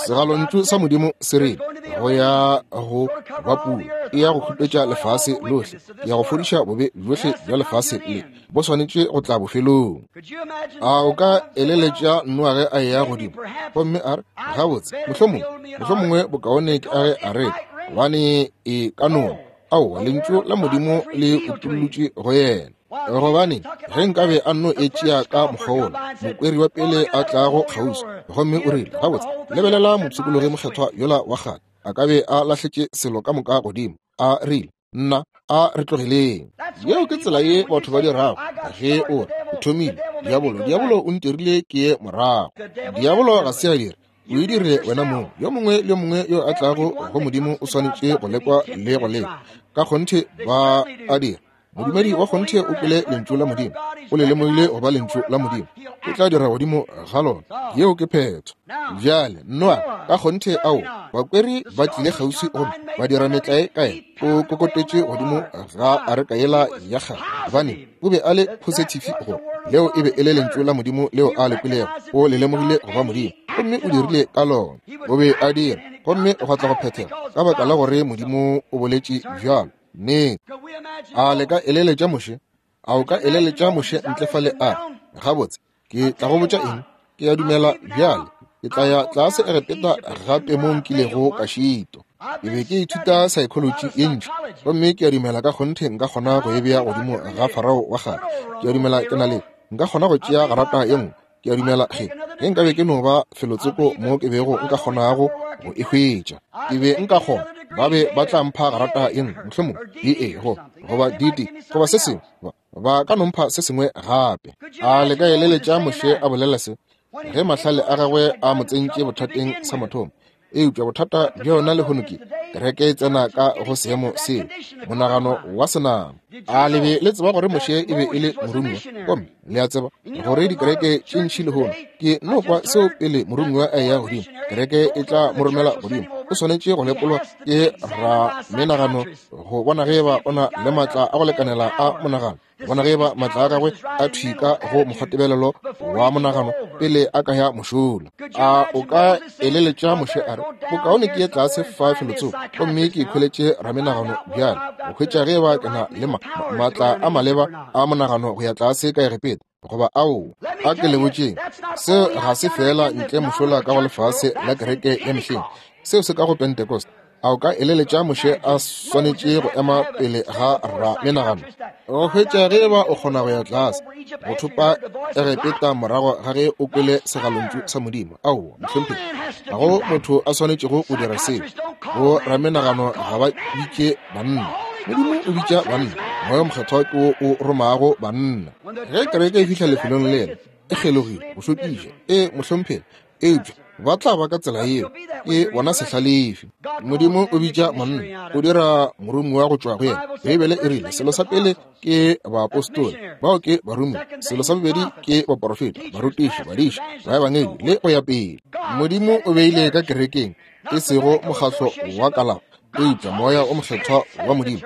Segalontšu sa Modimo se rile, go ya go ba pula, e ya go khupetša lefase lohle, ya go fodiša bobe bjohle bja lefase le, bo swanetše go tla bofelong. A o ka eleletša Noage a eya godimo, gomme a re, gabotse, mohlomongwe, mohlomongwe bokaone ke age areka, gobane e ka nona. Aowa, lentšu la Modimo le utollotše go yena. Gobane ge nkabe a nno e tšea ka mokgwa wola, mokweri wa pele a tlago kgauswi, gomme o rile, gabotse, lebelela mopshikologi mokgethwa yola wa kgale, a ka be a lahletše selo ka moka godimo, a rile, nna a re tlogeleng. Yeo ke tsela ye batho ba dirago ge o re o thomile. Diabolo, diabolo o ntirile ke ye morago. Diabolo ga se a dira, o e dire wena mong. Yo mongwe le yo mongwe yo a tlago go Modimo o swanetše go lekwa le go lekwa. Ka kgonthe ba a dira. Modumedi wa kgonthe o kwele lentšu la Modimo, o le lemogile go ba lentšu la Modimo, o tla dira godimo ga lona. Yeo ke phetho. Bjale Noa ka kgonthe, ao bakweri ba tlile kgauswi gomme ba dira metlae ka yena, o kokotetše godimo ga areka yela ya kgale, gobane o be a le positive go leo e be e le lentšu la Modimo leo a le kwelego, o le lemogile go ba Modimo, gomme o dirile ka lona. O be a dira, gomme gwa tla go phethega ka baka la gore Modimo o boletše bjalo. Nnete. A le ka eleletša Moshe? A o ka eleletša Moshe ntle fale a gabotse, ke tla go botša eng, ke ya dumela bjale, ke tla ya tlase Egepeta gape mo nkilego ka šitwa. Ke be ke ithuta psychology ye ntši, gomme ke a dumela ka kgonthe nka kgona go e bea godimo ga Farao wa kgale. Ke a dumela ke na le, nka kgona go tšea garata ye nngwe. Ke a dumela ge ge nkabe ke no ba felotsoko mo ke bego nka kgonago go e hwetša, ke be nka kgona, ba be ba tla mpha garata ye nngwe, mohlomongwe D A go goba D D goba se sengwe, ba ka no mpha se sengwe gape. A le ka eleletša Moshe a bolela se ge mahlale a gagwe a mo tsentše bothateng sa mathomo? Eupša bothata bja yona lehono ke kereke e tsena ka go seemo seo, monagano wa senama. A le be le tseba gore Moshe e be e le moromiwa? Gomme le a tseba gore dikereke tše ntši lehono, ke no kwa seo pele moromiwa a eya godimo, kereke e tla mo romela godimo, o swanetše go lekolwa ke ramenagano go bona ge eba o na le maatla a go lekanela a monagano, bona ge eba maatla a gagwe a thwika go mokgwatebelelo wa monagano pele a ka ya mošola. A o ka eleletša Moshe a re, bokaone ke ye tlase fa felotsoko, gomme ke ikhweletše ramenagano bjale, go hwetša ge eba ke na le ma maatla a maleba a monagano go ya tlase ka Egepeta, goba ao. A ke le botšeng, seo ga se fela ntle mošola ka go lefase la kereke ya mehleng, seo se ka go Pentecost. A o ka eleletša Moshe a swanetše go ema pele ga ramenagano go hwetša ge eba o kgona go ya tlase go thopa Egepeta morago ga ge o kwele segalontšu sa Modimo? Aowa, mohlomphegi, ga go motho a swanetšego go dira seo. Bo ramenagano ga ba bitše banna, Modimo o bitša banna, Moya Mokgethwa ke wo o romago banna. Ge kereke e fihla lefelong lela, e kgelogile go šokiša, e mohlomphegi, eupša ba tla ba ka tsela yeo, ke bona sehlalefi. Modimo o bitša monna, o dira moromiwa go tšwa go yena. Beibele e rile selo sa pele ke baapostola, bao ke baromiwa, selo sa bobedi ke baporofeta, barutiši, badiši, baebangedi le go ya pele. Modimo o beile ka kerekeng, e sego mokgatlo wa kalafo, eupša Moya o Mokgethwa wa Modimo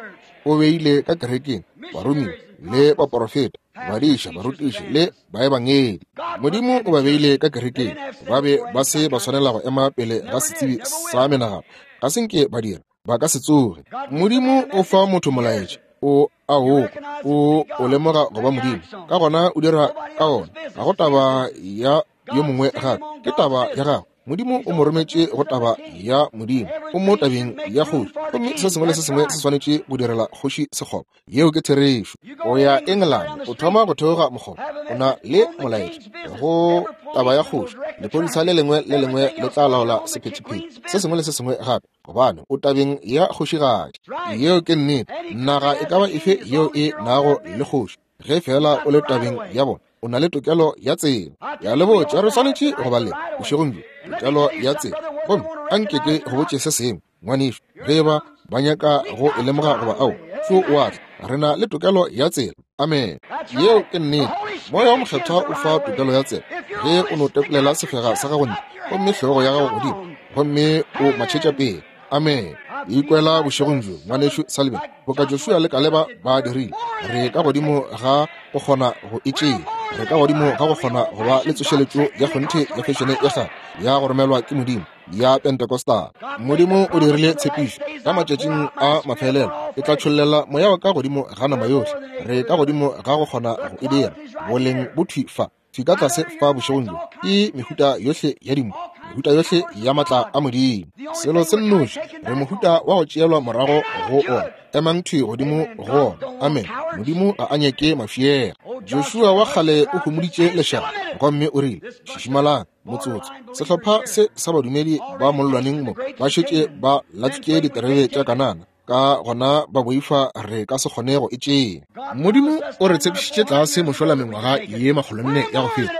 o beile ka kerekeng baromiwa le baporofeta, badiša, barutiši le baebangedi. Modimo o ba beile ka kerekeng, ba be ba se ba swanela go ema pele ga setsebi sa menagano, ga se nke ba dira, ba ka se tsoge. Modimo o fa motho molaetša, o a o o o lemoga go ba Modimo, ka gona o dira ka ona. Ga go taba ya yo mongwe gape, ke taba ya gago. Modimo o mo rometše go taba ya Modimo, o mo tabeng ya kgoši, gomme se sengwe le se sengwe se swanetše go direla kgoši sekgoba. Yeo ke therešo. O ya Engelane, o thoma go theoga mokgoba, o na le molaetša go taba ya kgoši. Lephodisa le lengwe le lengwe le tla laola sephethephethe se sengwe le se sengwe gape, gobane o tabeng ya kgošigadi. Yeo ke nnete. Naga e ka ba efe yeo e nago le kgoši, ge fela o le tabeng ya bona, o na le tokelo ya tsela. Ya le botša, re swanetše go ba le bošegong bjo tokelo ya tsela. Gomme a nke ke go botše se sengwe, ngwanešu, ge ba ba nyaka go e lemoga goba ao, šo o a tla, re na le tokelo ya tsela. Amen. Yeo ke nnete. Moya wa Mokgethwa o fa tokelo ya tsela ge o no tekolela sefega sa gago ntle, gomme hlogo ya gago godimo, gomme o matšhetša pele. Amen. Ikwela bošegong bjo, ngwanešu Sullivan, boka Joshua le Kaleba ba dirile. Re ka godimo ga go kgona go e tšea. Re ka godimo ga go kgona go ba le tsošeletšo ya kgonthe ya fešene ya kgale ya go romelwa ke Modimo ya Pentecostal. Modimo o dirile tshepišo ka matšatšing a mafelelo, e tla tšhollela moya wa ka godimo ga nama yohle. Re ka godimo ga go kgona go e dira. Boleng bo thwi fa, thwi ka tlase fa bošegong bjo, ke mehuta yohle ya dimpho, mehuta yohle ya matla a Modimo. Selo se nnoši, re mohuta wa go tšeelwa morago go ona. Emang thwi godimo go ona. Amen. Modimo ga a nyake mafiega. Joshua wa kgale o humoditše lešaba, gomme o rile, šišimalang motsotso. Sehlopha se sa badumedi ba mollwaneng mo ba šetše ba latswitše diterebe tša Kanana, ka gona ba boifa re ka se kgone go e tšea. Modimo o re tshepišitše tlase mošola mengwaga ye makgolonne ya go feta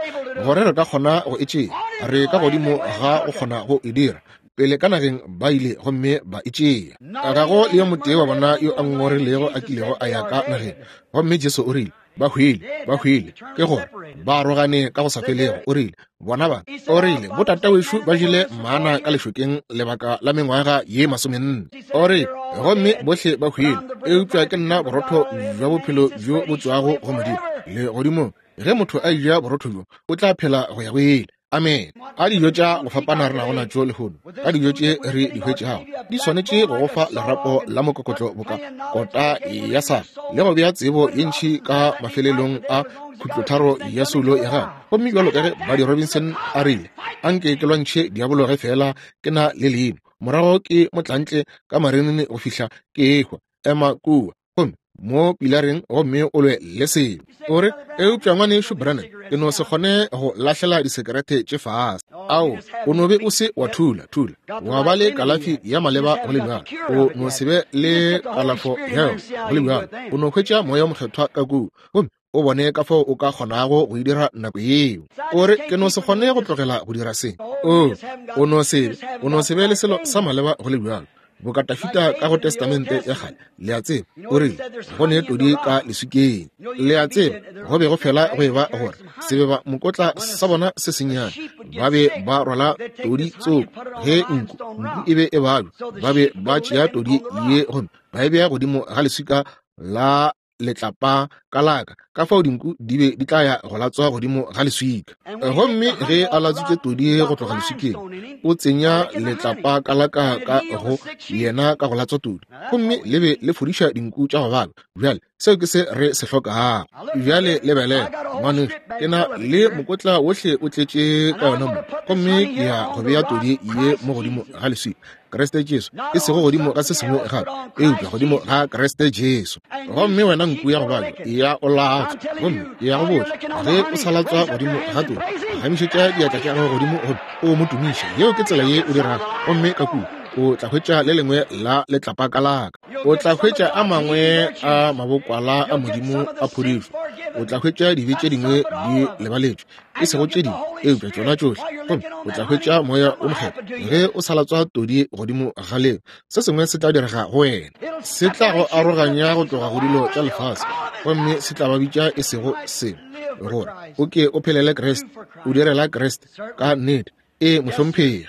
gore re ka kgona go e tšea. Re ka godimo ga go kgona go e dira. Pele ka nageng ba ile gomme ba e tšea. Ga go le yo motee wa bona yo a ngongorilego a kilego a ya ka nageng. Gomme Jesu o rile, ba hwile, ba hwile, ke gore ba arogane ka go sa felego. O rile, bona ba, o rile, botatawešo ba jele mana ka lešokeng lebaka la mengwaga ye masomenne. O rile, gomme bohle ba hwile, eupša ke nna borotho bja bophelo bjo bo tšwago go Modimo le godimong. Ge motho a eja borotho bjo, o tla phela go ya go ile. Amen. A dijo tša go fapana re nago natšo lehono, ka dijo tše re di hwetšago, di swanetše go go fa lerapo la mokokotlo boka kota ya sa, le go bea tsebo ye ntši ka mafelelong a khutlotharo ya soulo ya gago. Gomme bjalo ka ge Buddy Robinson a rile, anke ke lwantšhe diabolo ge fela ke na le leino, morago ke motlantle ka marenene go fihla ke ehwa. Ema kua gomme mo pilareng gomme o lwe le selo. O re, eupša ngwanešu Branham, ke no se kgone go lahlela disekerete tše fase. Ao, o no be o se wa thula thula wa ba le kalafi ya maleba go le bjalo. O no se be le kalafo ya yona go le bjalo. O no hwetša moya o mokgethwa ka kua, gomme o bone ka fao o ka kgonago go e dira nako yeo. O re, ke no se kgone go tlogela go dira se. O, o no se, o no se be le selo sa maleba go le bjalo. Boka Tafita ka go Testamente ya kgale, le a tseba, o rile, go ne todi ka leswikeng. Le a tseba, go be go fela go eba gore sebeba mokotla sa bona se sennyane, ba be ba rwala todi tsoko. Ge nku, nku e be e babja, ba be ba tšea todi ye gomme ba e bea godimo ga leswika la letlapa ka laka, ka fao dinku di be di tla ya go latswa godimo ga leswika. Gomme ge a latswitše todi go tloga leswikeng, o tsenya letlapa ka laka ka go yena ka go latswa todi, gomme le be le fodiša dinku tša go babja. Bjale seo ke se re se hlokago. Bjale lebelela, ngwanešu, ke na le mokotla wohle o tletše ka yona mo, gomme ke ya go bea todi ye mo godimo ga leswika, Kriste Jesu, e sego godimo ga se sengwe gape, eupša godimo ga Kriste Jesu. Gomme wena nku ya go babja, ya o latswa, gomme ke ya go botša, ge o sa latswa godimo ga todi, gamišetša diatla tša gago godimo gomme o mo tumiše. Yeo ke tsela ye o dirago, gomme ka kua o tla hwetša le lengwe la letlapa ka laka. O tla hwetša a mangwe a mabokwala a Modimo a phodišo. O tla hwetša dibe tše dingwe di lebaletšwe, e sego tše dingwe, eupša tšona tšohle. Gomme o tla hwetša moya o mokgethwa ge o sa latswa todi godimo ga leo. Se sengwe se tla direga go wena, se tla go aroganya go tloga go dilo tša lefase, gomme se tla ba bitša e sego selo, gore o ke o phelele Kriste, o direla Kriste ka nnete. E mohlomphegi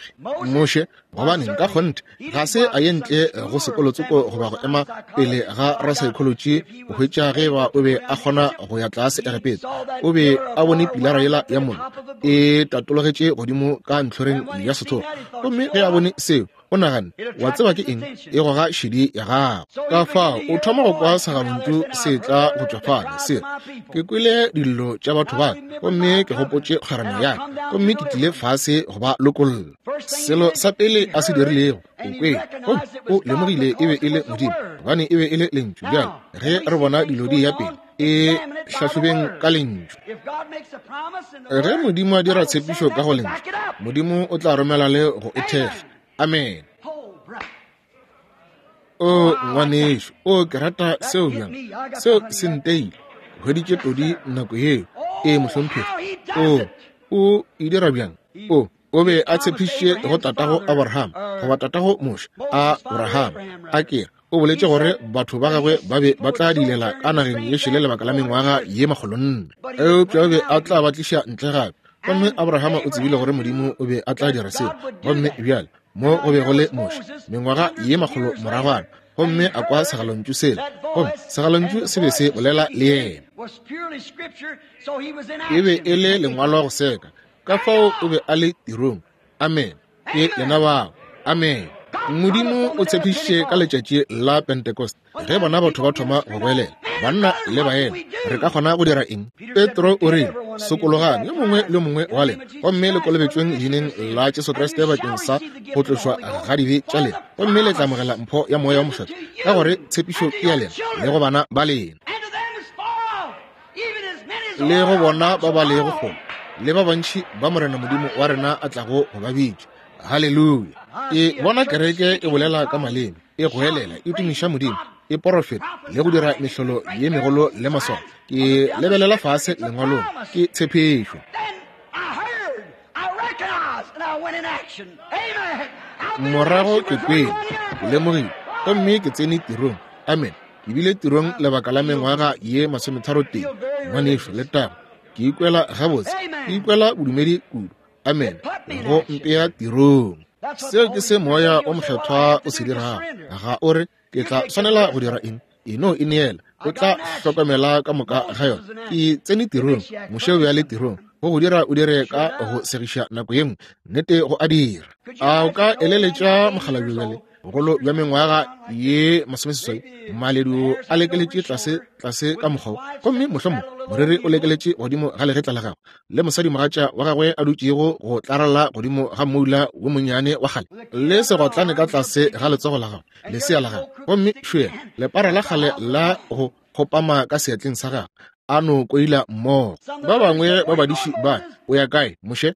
Moshe, gobaneng ka kgonthe ga se a ye ntle go sekolotsoko goba go ema pele ga rasaekholoji go hwetša ge ba o be a kgona go ya tlase Egepeta. O be a bone pilara yela ya mollo e tatologetše godimo ka ntlhoreng ya sethokgwa, gomme ge a bone seo, O nagane, wa tseba ke eng, e goga šedi ya gago. Ka fao o thoma go kwa segalontšu se tla go tšwa fale, se re, ke kwele dillo tša batho ba ka, gomme ke gopotše kgwerano ya ka, gomme ke tlile fase go ba lokolla. Selo sa pele a se dirilego, o kwele, gomme o lemogile e be e le Modimo, gobane e be e le lentšu. Bjale ge re bona dilo di ya pele, e hlahlobeng ka lentšu. Ge Modimo a dira tshepišo ka go lentšu, Modimo o tla romela le go e thekga. Amen. O ngwanešu, o ke rata seo bjang. Seo se nteile. Hweditše todi nako yeo. E mohlomphegi. O o e dira bjang? O o be a tshepišitše go tatago Abraham, goba tatago Moshe, Abraham. A ke o boletše gore batho ba gagwe ba be ba tla dilela ka nageng ye šele lebaka la mengwaga ye makgolonne, eupša o be a tla ba tliša ntle gape. Gomme Abrahama o tsebile gore Modimo o be a tla dira seo. Gomme bjale mo go be go le Moshe mengwaga ye makgolo moragwana, gomme a kwa segalontšu sela, gomme segalontšu se be se bolela le yena. E be e le lengwalo go seka, ka fao o be a le tirong. Amen. Ke lena bao. Amen. Modimo o tshepišitše ka letšatši la Pentecost, ge bona batho ba thoma go goelela, banna le baena, re ka kgona go dira eng? Petro o rile, sokologang yo mongwe le mongwe wa lena, gomme le kolobetšweng leineng la Jesu Kriste bakeng sa go tlošwa ga dibe tša lena, gomme le tla amogela mpho ya Moya wa Mokgethwa, ka gore tshepišo ke ya lena le go bana ba lena, le go bona ba ba lego kgole, le ba bantši ba Morena Modimo wa rena a tlago go ba bitša. Haleluya. E bona kereke e bolela ka maleme, e goelela, e tumiša Modimo, e porofeta le go dira mehlolo ye megolo le maswao. Ke lebelela fase lengwalong, ke tshepišo. Morago ke kwele, ke lemogile, gomme ke tsene tirong. Amen. Ke bile tirong lebaka la mengwaga ye masometharo tee. Ngwanešu, le taba, ke ikwela gabotse, ke ikwela bodumedi kudu. Amen. Go mpea tirong. Seo ke se Moya o Mokgethwa o se dirago. Ga o re, ke tla swanela go dira eng? E no e neela, o tla hlokomela ka moka ga yona. Ke tsene tirong, Moshe o be a le tirong. Go go dira o dire ka go segiša nako ye nngwe, nnete go a dira. A o ka eleletša mokgalabje bjale, bogolo bja mengwaga ye masomeseswai, maledu a lekeletše tlase tlase ka mokgwa, gomme mohlomong moriri o lekeletše godimo ga legetla la gagwe, le mosadi mogatša wa gagwe a dutšego go tlaralla godimo ga moula wo monnyane wa kgale, le segotlane ka tlase ga letsogo la gagwe, lesea la gagwe, gomme šwela lepara la kgale la go kgopama ka seatleng sa gagwe, a no koila mmogo. Ba bangwe ba badiši ba, o ya kae, Moshe?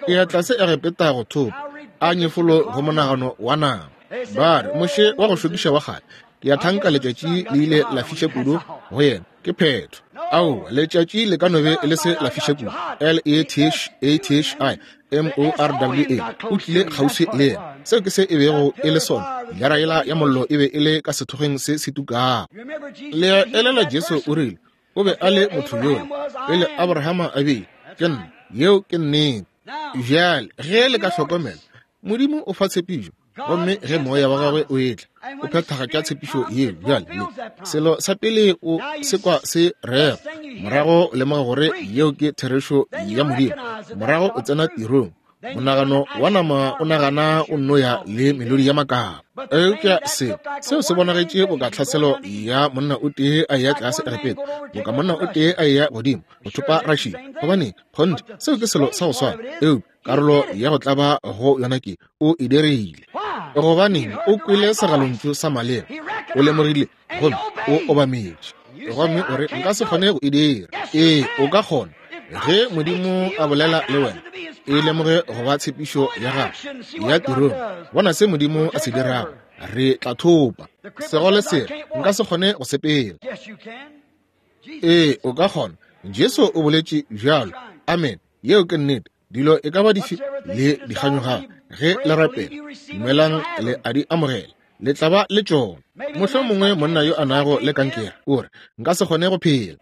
Ke ya tlase Egepeta go thopa, a nyefolo go monagano wa nama. Ba re, Moshe wa go šokiša wa kgale, ke ya thanka letšatši le ile la fiša kudu go yena, ke phetho. Ao, letšatši le ka no be le se la fiša kudu. L E T H A T H I M O R W A, o tlile kgauswi le yena. Seo ke se e bego e le sona. Pilara yela ya mollo e be e le ka sethokgweng se se tukago. Le elela Jesu o rile, o be a le motho yola pele Abrahama a be, ke nna. Yeo ke nnete. Bjale ge le ka hlokomela, Modimo o fa tshepišo, gomme ge moya wa gagwe o etla, o phethagatša tshepišo yeo. Bjale le selo sa pele o se kwa se rera, morago o lemoga gore yeo ke therešo ya Modimo, morago o tsena tirong. Monagano wa nama o nagana o nno ya le melodi ya makaba. Eupša se seo se bonagetše boka tlhaselo ya monna o tee a eya tlase Egepeta, boka monna o tee a eya godimo go thopa Russia. Gobane kgonthe seo ke selo sa go swana, eupša karolo ya go tlaba go yona ke o e dirile. Gobaneng o kwele segalontšu sa maleba, o lemogile gomme o obametše, gomme o re, nka se kgone go e dira. Ee, o ka kgona. Ge Modimo a bolela le wena, e lemoge go ba tshepišo ya gagwe ya tirong. Bona se Modimo a se dirago, re tla thopa. Segole se, nka se kgone go sepela. Ee, o ka kgona. Jesu o boletše bjalo. Amen. Yeo ke nnete. Dilo e ka ba dife le dikganyogago, ge le rapela, dumelang le a di amogela, le tla ba le tšona. Mohlomongwe monna yo a nago le kankere o re, nka se kgone go phela.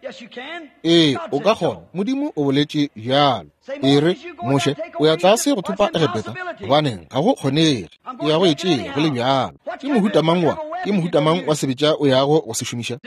Ee, o ka kgona. Modimo o boletše bjalo. E re, Moshe, o ya tlase go thopa Egepeta, gobaneng ga go kgonege. O ya go e tšea go le bjalo. Ke mohuta mang wa, ke mohuta mang wa sebetša o yago go se šomiša?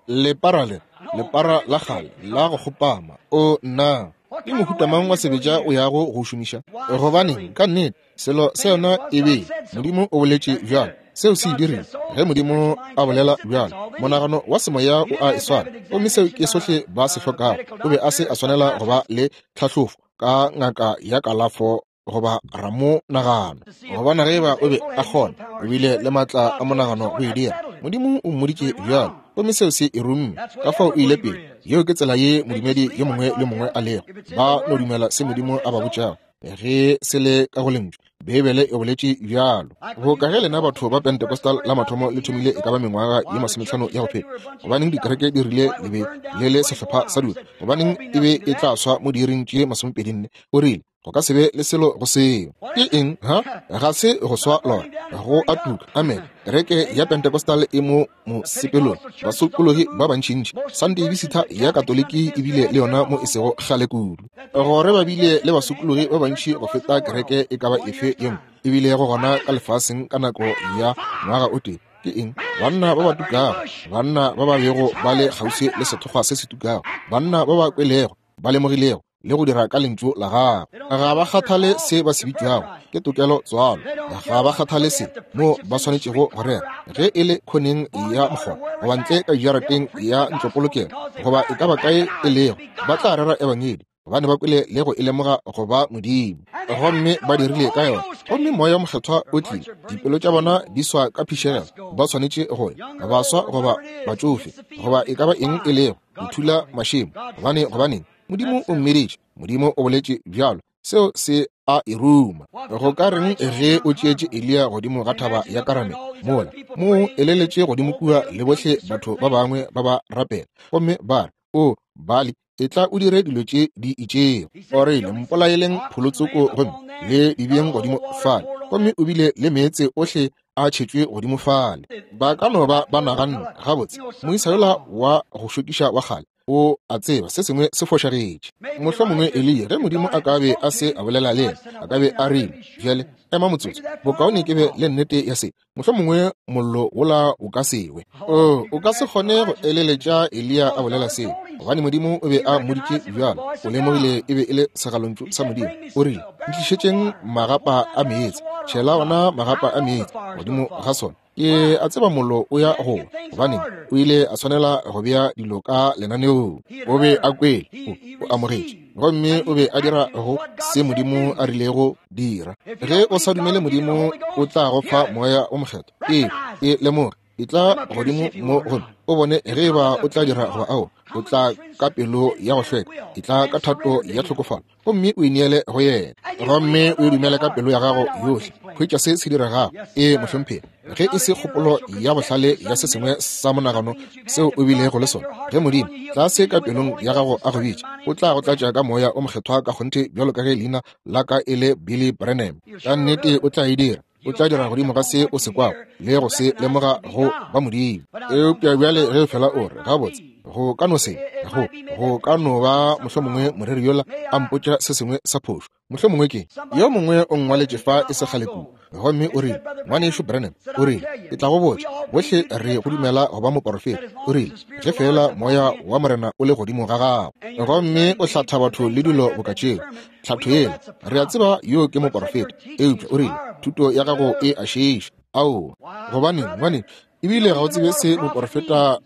Lepara le, lepara la kgale la go kgopama. O nna. Ke mohuta mang wa sebetša o yago go šomiša? Gobaneng, ka nnete, selo se yona e be Modimo o boletše bjalo. Seo se e dirile. Ge Modimo a bolela bjalo, monagano wa semoya o a e swara, gomme seo ke sohle ba se hlokago. O be a se a swanela go ba le tlhahlofo ka ngaka ya kalafo goba ramonagano, gobana ge ba o be a kgona, o bile le matla a monagano go e dira. Modimo o mmoditše bjalo, gomme seo se e rumme. Ka fao o ile pele. Yeo ke tsela ye modumedi yo mongwe le mongwe a lego. Ba no dumela se Modimo a ba botšago ge se le ka go lentšu. Beibele e boletše bjalo. Go ka ge lena batho ba Pentecostal la mathomo le thomile e ka ba mengwaga ye masometlhano ya go feta, gobaneng dikereke di rile le be le le sehlopha sa dilo, gobaneng e be e tla swa mo diiring tše masomepedi nne? O rile go ka se be le selo go seo. Ke eng? Ha ga se go swa lona, go a tuka. Amen. Kereke ya Pentecostal e mo mosepelong, basokologi ba bantšintši. Sunday Visitor ya Katoliki e bile le yona mo e sego kgale kudu, gore ba bile le basokologi ba bantši go feta kereke e ka ba efe ye nngwe e bile go gona ka lefaseng ka nako ya ngwaga o tee. Ke eng? Banna ba ba tukago, banna ba ba bego ba le kgauswi le sethokgwa se se tukago, banna ba ba kwelego, ba lemogilego le go dira ka lentšu la gagwe. Ga ba kgathale se ba se bitšwago ke tokelo tswalo, ga ba kgathale se mo ba swanetšego go rera, ge e le khoneng ya mokgwa goba ntle ka dijarateng ya ntlopolokelo goba e ka ba kae e lego, ba tla rera ebangedi, gobane ba kwele le go e lemoga go ba Modimo, gomme ba dirile ka yona. Gomme Moya o Mokgethwa o tlile, dipelo tša bona di swa ka phišegelo, ba swanetše go ya, baswa goba batšofe goba e ka ba eng e lego, go thula mašemo. Gobane gobaneng? Modimo o mmeditše, Modimo o boletše bjalo, seo se a e ruma. Go ka reng ge o tšeetše Eliya godimo ga thaba ya Karamele mola mo eleletše godimo kua le bohle batho ba bangwe ba ba rapela, gomme ba re, o Bali, e tla o dire dilo tše di itšego. O rile, mpolaeleng pholotsoko gomme le di beeng godimo fale, gomme o bile le meetse ohle a tšhetšwe godimo fale. Ba ka no ba ba naganne, gabotse, moisa yola wa go šokiša wa kgale o a tseba se sengwe se fošagetše. Mohlomongwe Eliya, ge Modimo a ka be a se a bolela le yena, a ka be a rile, bjale ema motsotso, bokaone ke be le nnete ya se, mohlomongwe mollo wola o ka se we. O, o ka se kgone go eleletša Eliya a bolela seo, gobane Modimo o be a mmoditše bjalo. O lemogile e be e le segalontšu sa Modimo. O rile, ntlišetšeng magapa a meetse, tšhela ona magapa a meetse godimo ga sona. Ke a tseba mollo o ya go, gobaneng o ile a swanela go bea dilo ka lenaneong. O be a kwele, o, o amogetše, gomme o be a dira go se Modimo a rilego dira. Ge o sa dumele Modimo o tla go fa Moya o Mokgethwa, ee, e lemoge, e tla godimo mo gomme o bone ge e ba o tla dira goba ao. O tla ka pelo ya go hlweka, e tla ka thato ya tlhokofalo, gomme o ineele go yena, gomme o e dumele ka pelo ya gago yohle. Hwetša se se diregago. Ee, mohlomphegi. Ge e se kgopolo ya bohlale ya se sengwe sa monagano seo o bilego le sona, ge Modimo tlase ka pelong ya gago a go bitša, o tla go tlatša ka Moya o Mokgethwa ka kgonthe bjalo ka ge leina la ka e le Billy Branham. Ka nnete o tla e dira. O tla dira godimo ga se o se kwago le go se lemoga go ba Modimo. Eupša bjale ge fela o re, gabotse, go ka no se, go, go ka no ba mohlomongwe moreri yola a mpotša se sengwe sa phošo. Mohlomongwe ke yo mongwe o nngwaletše fa e se kgale kudu, gomme o rile, ngwanešu Branham, o rile, ke tla go botša, bohle re go dumela go ba moporofeta. O rile, ge fela moya wa Morena o le godimo ga gago, gomme o hlatha batho le dilo boka tšeo, tlhatho yela, re a tseba yo ke moporofeta. Eupša o rile, thuto ya gago e a šiiša. Aowa, gobaneng, ngwane, ebile ga o tsebe se moporofeta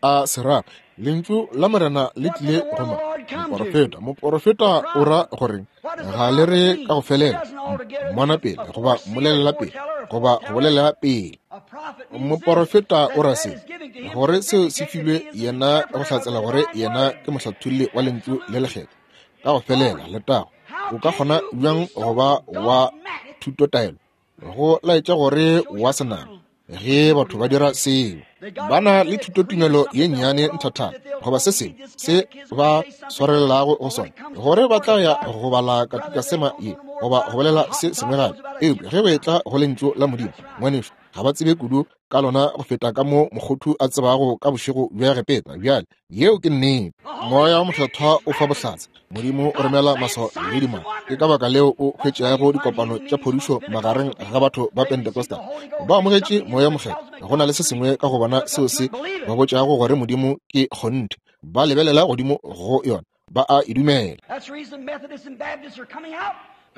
a se ra. Lentšu la Morena le tlile go ma moporofeta. Moporofeta o ra gore ga le re ka go felela, mmona pele goba mmolelela pele goba go bolela pele. Moporofeta o ra se, gore seo se filwe yena go hlatsela gore yena ke mohlatholli wa lentšu le lekgethwa ka go felela. Letago. O ka kgona bjang go ba wa thutotaelo go laetša gore wa senama ge batho ba dira seo? Ba na le thutotumelo ye nnyane nthathana goba se sengwe se ba swarelelago go sona, gore ba tla ya go bala katikasema ye goba go bolela se sengwe gape. Eupša ge go etla go lentšu la Modimo, ngwanešu, ga ba tsebe kudu ka lona go feta ka mo mokgothu a tsebago ka bošego bja Egepeta. Bjale yeo ke nnete. Moya wa Mokgethwa o fa bohlatse. Modimo o romela maswao le dimaka. Ke ka baka leo o hwetšago dikopano tša phodišo magareng ga batho ba Pentecostal. Ba amogetše Moya wa Mokgethwa. Go na le se sengwe ka go bona seo se ba botšago gore Modimo ke kgonthe. Ba lebelela godimo go yona, Ba a e dumela.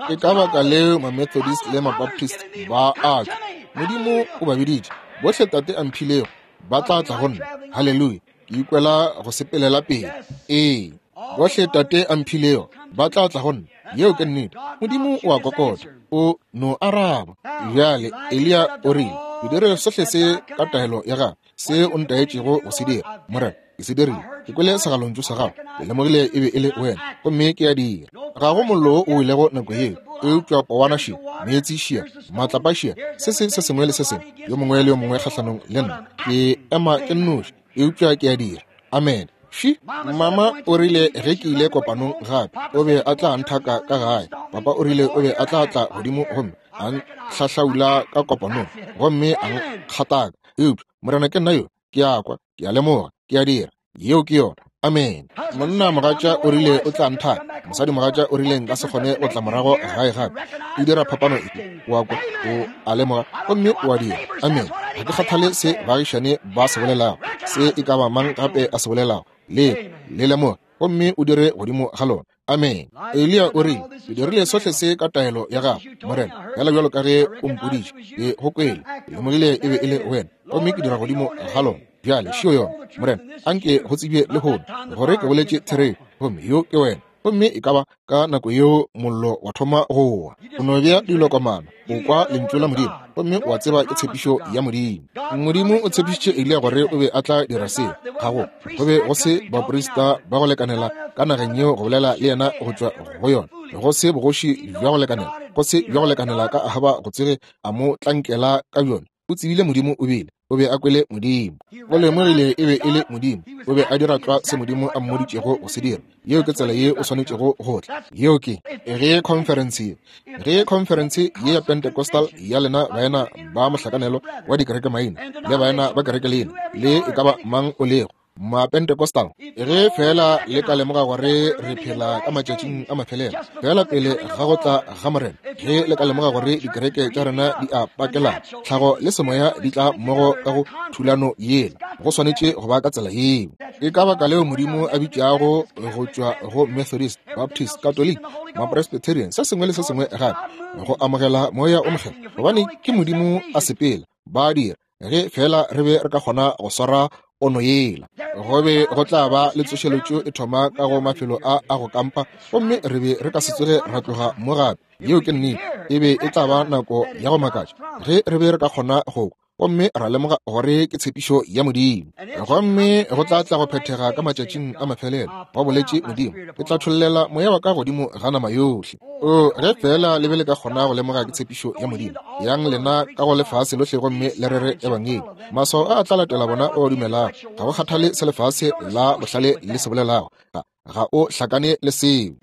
Ke ka baka leo ma-Methodist le ma-Baptist ba a tšwa. Modimo o ba biditše. Bohle Tate a mphilego ba tla tla go nna. Haleluya. Ke ikwela go sepelela pele. Ee, bohle Tate a mphilego ba tla tla go nna. Yeo ke nnete. Modimo o a kokota, o no araba. Bjale Eliya o rile, ke dire sohle se ka taelo ya gago, se o ntaetšego go se dira. Morena, ke se dirile. Ke kwele segalontšu sa gago, ke lemogile e be e le wena, gomme ke a dira. Ga go mollo o ilego nako yeo, eupša powana šia, meetse šia, matlapa šia, se se se sengwe le se sengwe, yo mongwe le yo mongwe kgahlanong le nna. Ke ema ke nnoši, eupša ke a dira. Amen. Shi, mama o rile ge ke ile kopanong gape, o be a tla nthaka ka gae. Papa o rile o be a tla tla godimo gomme a ntlhahlaula ka kopanong, gomme a nkgataka. Eupša Morena ke nna yo, ke a kwa, ke a lemoga, ke a dira. Yeo ke yona. Amen. Monna mogatša o rile o tla nthaka, mosadi mogatša o rile nka se kgone go tla morago gae gape. O dira phapano efe? O a kwa, o a lemoga, gomme o a dira. Amen. Ga ke kgathale se baagišane ba se bolelago, se e ka ba mang gape a se bolelago. Le le lemoga, gomme o dire godimo ga lona. Amen. Eliya o rile, ke dirile sohle se ka taelo ya gago, Morena, fela bjalo ka ge o mpoditše. Ke go kwele, ke lemogile e be e le wena, gomme ke dira godimo ga lona. Bjale šio yona, Morena, anke go tsebje lehono gore ke boletše therešo, gomme yo ke wena. Gomme e ka ba ka nako yeo mollo wa thoma go wa. O no bea dilokomana, o kwa lentšu la Modimo, gomme wa tseba ke tshepišo ya Modimo. Modimo o tshepišitše Eliya gore o be a tla dira seo. Ga go go be go se baprista ba go lekanela ka nageng yeo go bolela le yena go tšwa go yona, go se bogoši bja go lekanela, go se bja go lekanela ka Ahaba go tsege a mo tlankela ka bjona. O tsebile Modimo o bile, o be a kwele Modimo. O lemogile e be e le Modimo, o be a dira tlwa se Modimo a mmoditšego go se dira. Yeo ke tsela ye o swanetšego go tla. Yeo ke ge conference ye, ge conference ye ya Pentecostal ya lena baena ba mohlakanelo wa dikereke maina le baena ba kereke lena le e ka ba mang o lego ma Pentecostal, ge fela le ka lemoga gore re phela ka matšatšing a mafelelo, fela pele ga go tla ga Morena, ge le ka lemoga gore dikereke tša rena di a pakelana, tlhago le semoya di tla mmogo ka go thulano yela, go swanetše go ba ka tsela yeo. Ke ka baka leo Modimo a bitšago go tšwa go Methodist, Baptist, Catholic, ma-Presbyterian, se sengwe le se sengwe gape, go amogela moya o mokgethwa, gobane ke Modimo a sepela, ba dira. Ge fela re be re ka kgona go swara ono yela, go be go tla ba le tsošeletšo e thoma ka go mafelo a a go kampa, gomme re be re ka se tsoge ra tloga mo gape. Yeo ke nnete. E be e tla ba nako ya go makatša ge re be re ka kgona go kwa, gomme ra lemoga gore ke tshepišo ya Modimo, gomme go tla tla go phethega ka matšatšing a mafelelo. Ba boletše Modimo, ke tla tšhollela moya wa ka godimo ga nama yohle. O ge fela le be le ka kgona go lemoga ke tshepišo ya Modimo, yang lena ka go lefase lohle gomme le rere ebangedi. Maswao a a tla latela bona o dumelago. Ga go kgathale se lefase la bohlale le se bolelago, ga o hlakane le seo.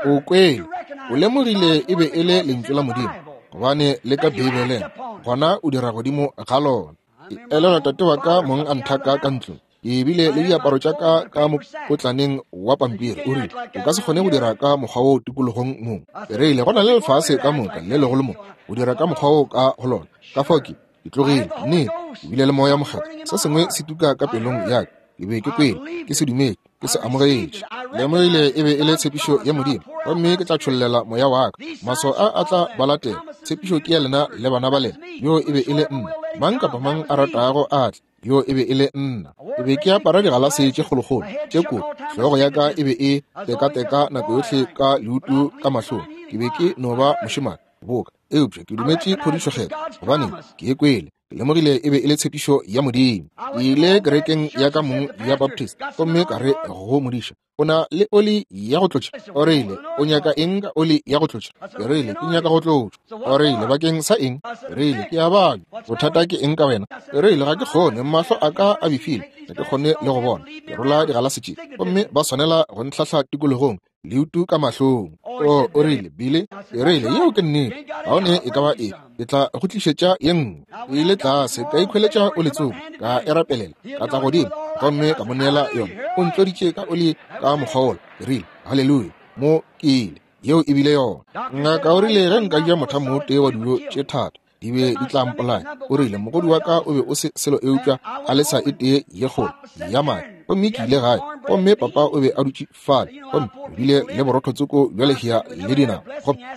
O kwele, o lemogile e be e le lentšu la Modimo, gobane le ka Beibeleng, gona o dira godimo ga lona. Ke elelwa tate wa ka mong a nthaka ka ntlong, ke bile le diaparo tša ka ka mokotlaneng wa pampiri. O rile, o ka se kgone go dira ka mokgwa wo tikologong mong. Ke rile, go na le lefase ka moka le legolo mo, o dira ka mokgwa wo ka go lona. Ka fao ke ke tlogile. Nnete, ke bile le moya mokgethwa, se sengwe se tuka ka pelong ya ka. Ke be ke kwele, ke se dumetše, ke se amogetše. Lemogile e be e le tshepišo ya Modimo, gomme ke tla tšhollela moya wa ka. Maswao a a tla ba latela. Tshepišo ke ya lena le bana ba lena. Yo e be e le nna. Mang kapa mang a ratago a tle. Yo e be e le nna. Ke be ke apara digalase tše kgolokgolo tše kotsi. Hlogo ya ka e be e tekateka nako yohle ka leutu ka mahlong. Ke be ke no ba mošemane boka, eupša ke dumetše phodišo kgethwa, gobane ke e kwele. Ke lemogile e be e le tshepišo ya Modimo. Ke ile kerekeng ya ka mong ya Baptist, gomme ka re go modiša, o na le oli ya go tlotša? O rile, o nyaka eng ka oli ya go tlotša? Ke rile, ke nyaka go tlotšwa. O rile, bakeng sa eng? Ke rile, ke a babja. Bothata ke eng ka wena? Ke rile, ga ke kgone, mahlo a ka a befile, ga ke kgone le go bona. Ke rola digalase tše, gomme ba swanela go ntlhahla tikologong, leutu ka mahlong. O o rile, Billy, ke rile, yeo ke nnete. Ga o ne e ka ba e, ke tla go tlišetša ye nngwe. Ke ile tlase, ka ikhweletša o letsogo, ka e rapelela, ka tla godimo, gomme ka mo neela yona. O ntloditše ka oli ka mokgwa wola. Ke rile, haleluya, mo ke ile. Yeo e bile yona. Ngaka o rile ge nka ja mothamo o tee wa dijo tše thata, di be di tla mpolaya. O rile mogodu wa ka o be o se selo eupša a le sa e tee ye kgolo ya madi. Gomme ke ile gae, Gomme papa o be a dutše fale, gomme o bile le borotho tsoko bja lehea le dinama.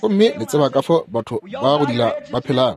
Gomme le tseba ka fao batho ba go dila ba phelago.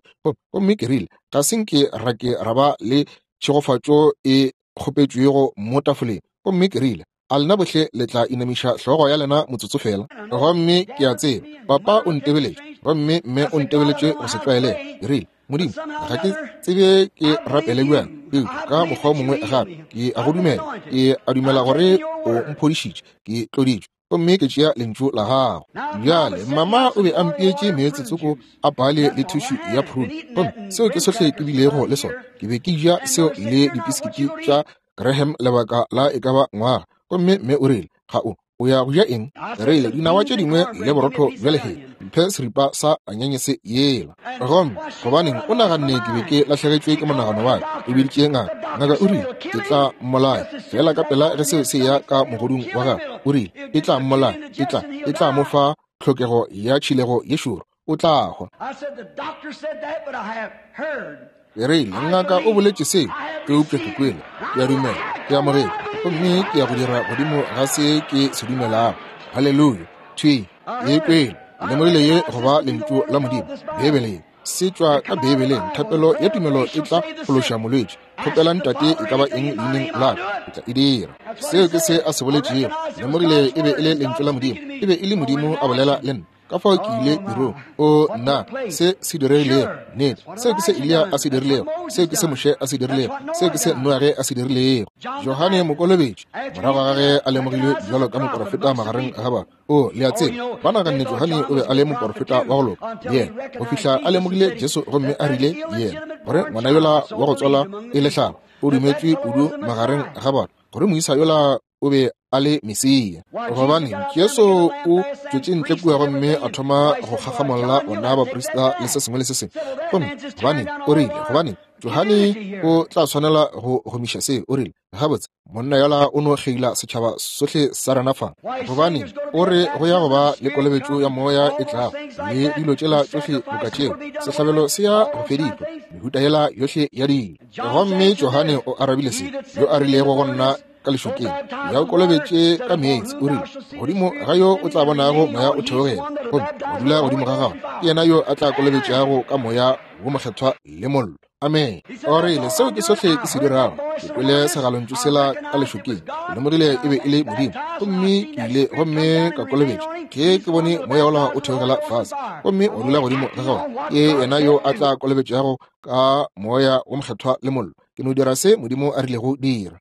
Gomme ke rile, ga se nke ra ke ra ba le tšhegofatšo e kgopetšwego mo tafoleng. Gomme ke rile, a lena bohle le tla inamiša hlogo ya lena motsotso fela. Gomme ke a tseba papa o ntebeletše, gomme mme o ntebeletše go se tlwaelege. Ke rile, Modimo, ga ke tsebe ke rapele bjang, eupša ka mokgwa o mongwe gape ke a go dumela. Ke a dumela gore o mphodišitše, ke tloditšwe, gomme ke tšea lentšu la gago. Bjale mama o be a mpeetše meetse tsoko a pale le thušu ya prune, gomme seo ke sohle ke bilego le sona. Ke be ke ja seo le dipisikiti tša Graham lebaka la e ka ba ngwaga. Gomme mme o rile, ga o o ya go ja eng? Rile, dinawa tše dingwe le borotho bja lehea, mphe seripa sa anyenyese yela. Gomme gobaneng o naganne ke be ke lahlegetšwe ke monagano wa ka? O biditše ngaka. Ngaka o rile, ke tla mmolaya fela ka pela ge seo se ya ka mogodung wa gagwe. O rile, e tla mmolaya, e tla e tla mo fa tlhokego ya tšhilego ye šoro, o tla hwa. Ke rile, ngaka o boletše seo, eupša ke kwele, ke a dumela, ke amogetše, gomme ke ya go dira godimo ga se ke se dumelago. Haleluya! Thwi, e kwele, lemogile ye go ba lentšu la Modimo, Beibele ye se tšwa ka Beibeleng. Thapelo ya tumelo e tla phološa molwetši. Kgopela Ntate e ka ba eng leineng la ka, ke tla e dira. Seo ke se a se boletšego. Lemogile e be e le lentšu la Modimo, e be e le Modimo a bolela le nna. Ka fao ke ile tirong. O nna, se se diregilego, nnete. Seo ke se Eliya a se dirilego, seo ke se Moshe a se dirilego, seo ke se Noage a se dirilego. Johane Mokolobetši, morago ga ge a lemogilwe bjalo ka moporofeta magareng ga batho. O, le a tseba, ba naganne Johane o be a le moporofeta wa go loka, yena, go fihla a lemogile Jesu gomme a rile yena, gore ngwana yola wa go tswalwa e le hlaba, o dumetšwe kudu magareng ga batho, gore moisa yola o be a le Mesia. Gobane Jesu o tšwetše ntle kua gomme a thoma go kgakgamolla bona baprista le se sengwe le se sengwe. Gomme gobane o rile, gobane Johane o tla swanela go gomiša se, o rile, gabotse monna yola o no kgeila setšhaba sohle sa rena fa. Gobane o re go ya go ba le kolobetšo ya moya e tlago, le dilo tšela tšohle boka tšeo, sehlabelo se ya go fedišwa, mehuta yela yohle ya dilo. Gomme Johane o arabile se, yo a rilego go nna ka lešokeng, ya o kolobetše ka meetse, o rile, godimo ga yo o tla bonago moya o theogela gomme o dula godimo ga gagwe, ke yena yo a tla kolobetšago ka moya wo mokgethwa le mollo. Amen. O rile, seo ke sohle ke se dirago. Ke kwele segalontšu sela ka lešokeng, ke lemogile e be e le Modimo, gomme ke ile gomme ka kolobetšwa. Ke ke bone moya wola o theogela fase gomme o dula godimo ga gagwe, ke yena yo a tla kolobetšago ka moya wo mokgethwa le mollo. Ke no dira se Modimo a rilego dira.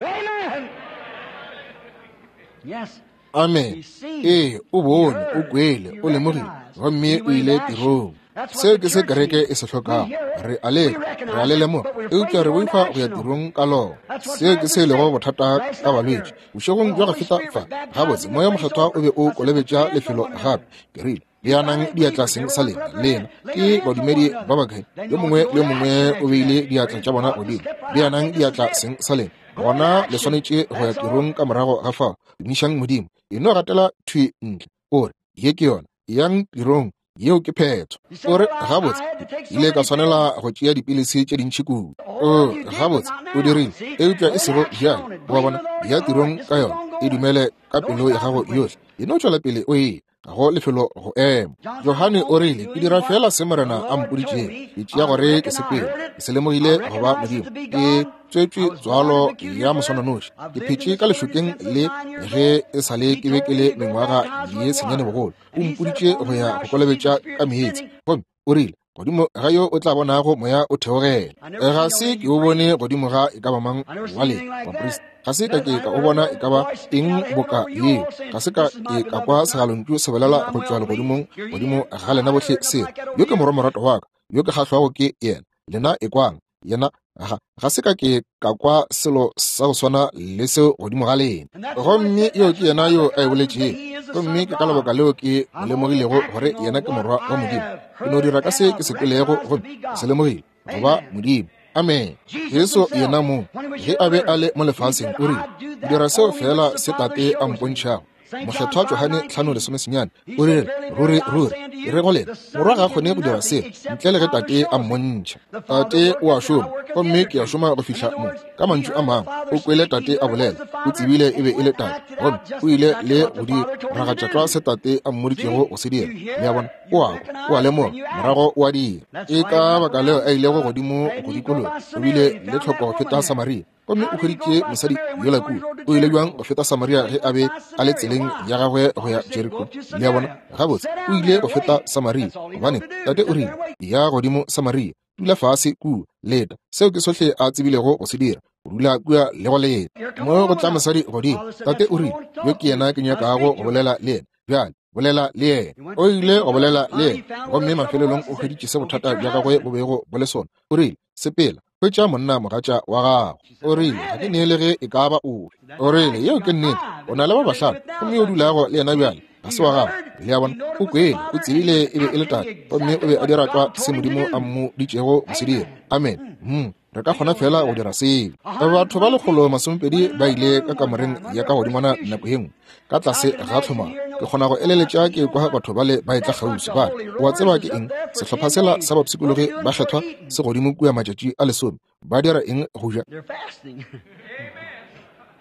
Amen. Ee, o bone, o kwele, o lemogile, gomme o ile tirong. Seo ke se kereke e se hlokago. Re a le, re a le lemoga, eupša re boifa go ya tirong ka lona. Seo ke se lego bothata ka balwetši. Bošegong bja go feta fa, gabotse moya mokgethwa o be o kolobetša lefelo gape. Ke rile, beanang diatla seng sa lena, lena ke badumedi ba bakae? Yo mongwe le yo mongwe o beile diatla tša bona godimo. Beanang diatla seng sa lena. Gona le swanetše go ya tirong ka morago ga fao. Tumišang Modimo. E no gatela thwi ntle. O re, ye ke yona. Yang tirong. Yeo ke phetho. O re, gabotse, ile ka swanela go tšea dipilisi tše dintši kudu. O, gabotse, o dirile, eupša e sego bjale. Wa bona, ya tirong ka yona, e dumele ka pelo ya gago yohle. E no tšwela pele o e ga go lefelo go ema. Johane o rile, ke dira fela se Morena a mpoditšego. Ke tšea gore ke sepele. Ke se lemogile go ba Modimo. Ke tswetšwe tswalo ya moswananoši. Ke phetše ka lešokeng le ge e sa le ke be ke le mengwaga ye senyane bogolo. O mpoditše go ya go kolobetša ka meetse. Gomme o rile, godimo ga yo o tla bonago moya o theogela. Ga se ke o bone godimo ga e ka ba mang wa lena baprista. Ga se ka ke ka o bona e ka ba eng boka yeo. Ga se ka ke ka kwa segalontšu se bolela go tšwa legodimong godimo ga lena bohle se. Yo ke morwa morato wa ka, yo ke kgahlwago ke yena. Lena e kwang, yena ga ga se ka ke ka kwa selo sa go swana le seo godimo ga lena. Gomme yo ke yena yo a e boletšego. Gomme ke ka lebaka leo ke mo lemogilego gore yena ke morwa wa Modimo. Ke no dira ka se ke se kwelego gomme ke se lemogile go ba Modimo. Amen. Jesu yena mong, ge a be a le mo lefaseng, o rile, ke dira seo fela se Tate a mpontšhago. Mokgethwa Johane tlhano lesome senyane o rile, ruri ruri Ke re go lena, Morwa ga a kgone go dira selo ntle le ge Tate a mmontšha. Tate o a šoma, gomme ke a šoma go fihla mo. Ka mantšu a mangwe, o kwele Tate a bolela, o tsebile e be e le Tate, gomme o ile le go di ragatša tlwa se Tate a mmoditšego go se dira. Le a bona? O a kwa, o a lemoga, morago o a dira. Ke ka baka leo a ilego godimo go dikologa, o bile le tlhoko go feta Samaria. Gomme o hweditše mosadi yola kua. O ile bjang go feta Samaria ge a be a le tseleng ya gagwe go ya Jeriko? Le a bona? Gabotse, o ile go feta Samaria, gobane Tate o rile, ya godimo Samaria, dula fase kua, leta. Seo ke sohle a tsebilego go se dira, go dula kua le go leta. Mo go tla mosadi godimo, Tate o rile, yo ke yena ke nyakago go bolela le yena. Bjale, bolela le yena. O ile go bolela le yena, gomme mafelelong o hweditše se bothata bja gagwe bo bego bo le sona. O rile, sepela, hwetša monna mogatša wa gago. O rile, ga ke neele ge e ka ba ofe. O rile, yeo ke nnete, o na le ba bahlano, gomme o dulago le yena bjale ga se wa gago. Le a bona? O kwele, o tsebile e be e le Tate, gomme o be a dira tlwa se Modimo a mmoditšego go se dira. Amen. Hmm. Re ka kgona fela go dira seo. Batho ba lekgolo masomepedi ba ile ka kamoreng ya ka godingwana nako ye nngwe, ka tlase ga tlhomaro. Ke kgona go eleletša ke kwa batho bale ba etla kgauswi, ba re, o a tseba ke eng? Sehlopha sela sa bapshikologi ba kgethwa se godimo kua matšatši a lesome. Ba dira eng go ja?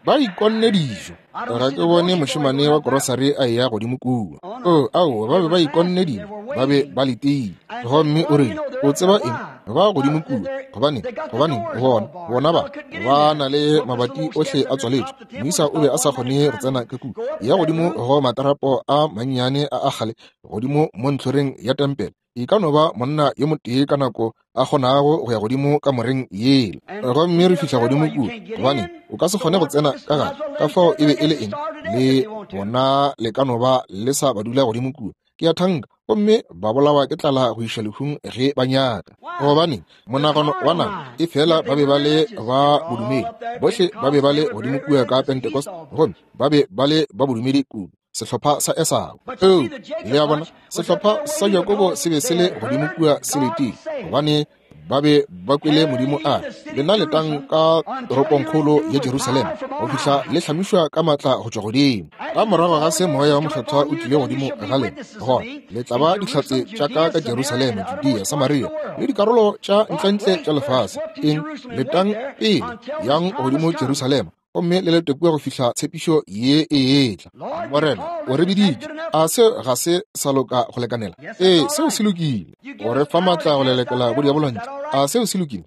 Ba ikonne dijo. Ga ke bone mošemane wa korosari a eya godimo kua. Oh, aowa, ba be ba ikonne dilo, ba be ba letile. Gomme o rile, o tseba eng? Ba godimo kua. Gobane, gobane, bona, bona ba, ba na le mabati ohle a tswaletšwe. Moisa o be a sa kgone go tsena ka kua. Ya godimo go matarapo a mannyane a a kgale, godimo mo ntlhoreng ya tempele. E ka no ba monna yo motee ka nako a kgonago go ya godimo kamoreng yela. Gomme re fihla godimo kua, gobane o ka se kgone go tsena ka gare. Ka fao e be e le eng? Le bona le ka no ba le sa ba dula godimo kua. Ke a thanka, gomme ba bolawa ke tlala go iša lehung ge ba nyaka. Gobane monagano wa nama, e fela ba be ba le ba bodumedi. Bohle ba be ba le godimo kua ka Pentecost, gomme ba be ba le ba bodumedi kudu. Sehlopha sa Esau. Oh, le a bona, sehlopha sa Jakobo se be se le godimo kua se letile, gobane ba be ba kwele Modimo a re, lena letang ka toropongkgolo ya Jerusalema go fihla le hlamišwa ka matla go tšwa godimo. Ka morago ga se Moya wa Mokgethwa o tlile godimo ga lena, gona le tla ba dihlatse tša ka ka Jerusalema, Judea, Samaria le dikarolo tša ntlentle tša lefase. Eng? Letang pele, yang godimo Jerusalema, gomme le lete kua go fihla tshepišo ye e etla. Morena o re biditše. A seo ga se sa loka go lekanela? Ee, seo se lokile. O re fa matla go lelekela bodiabolo ntle. A seo se lokile?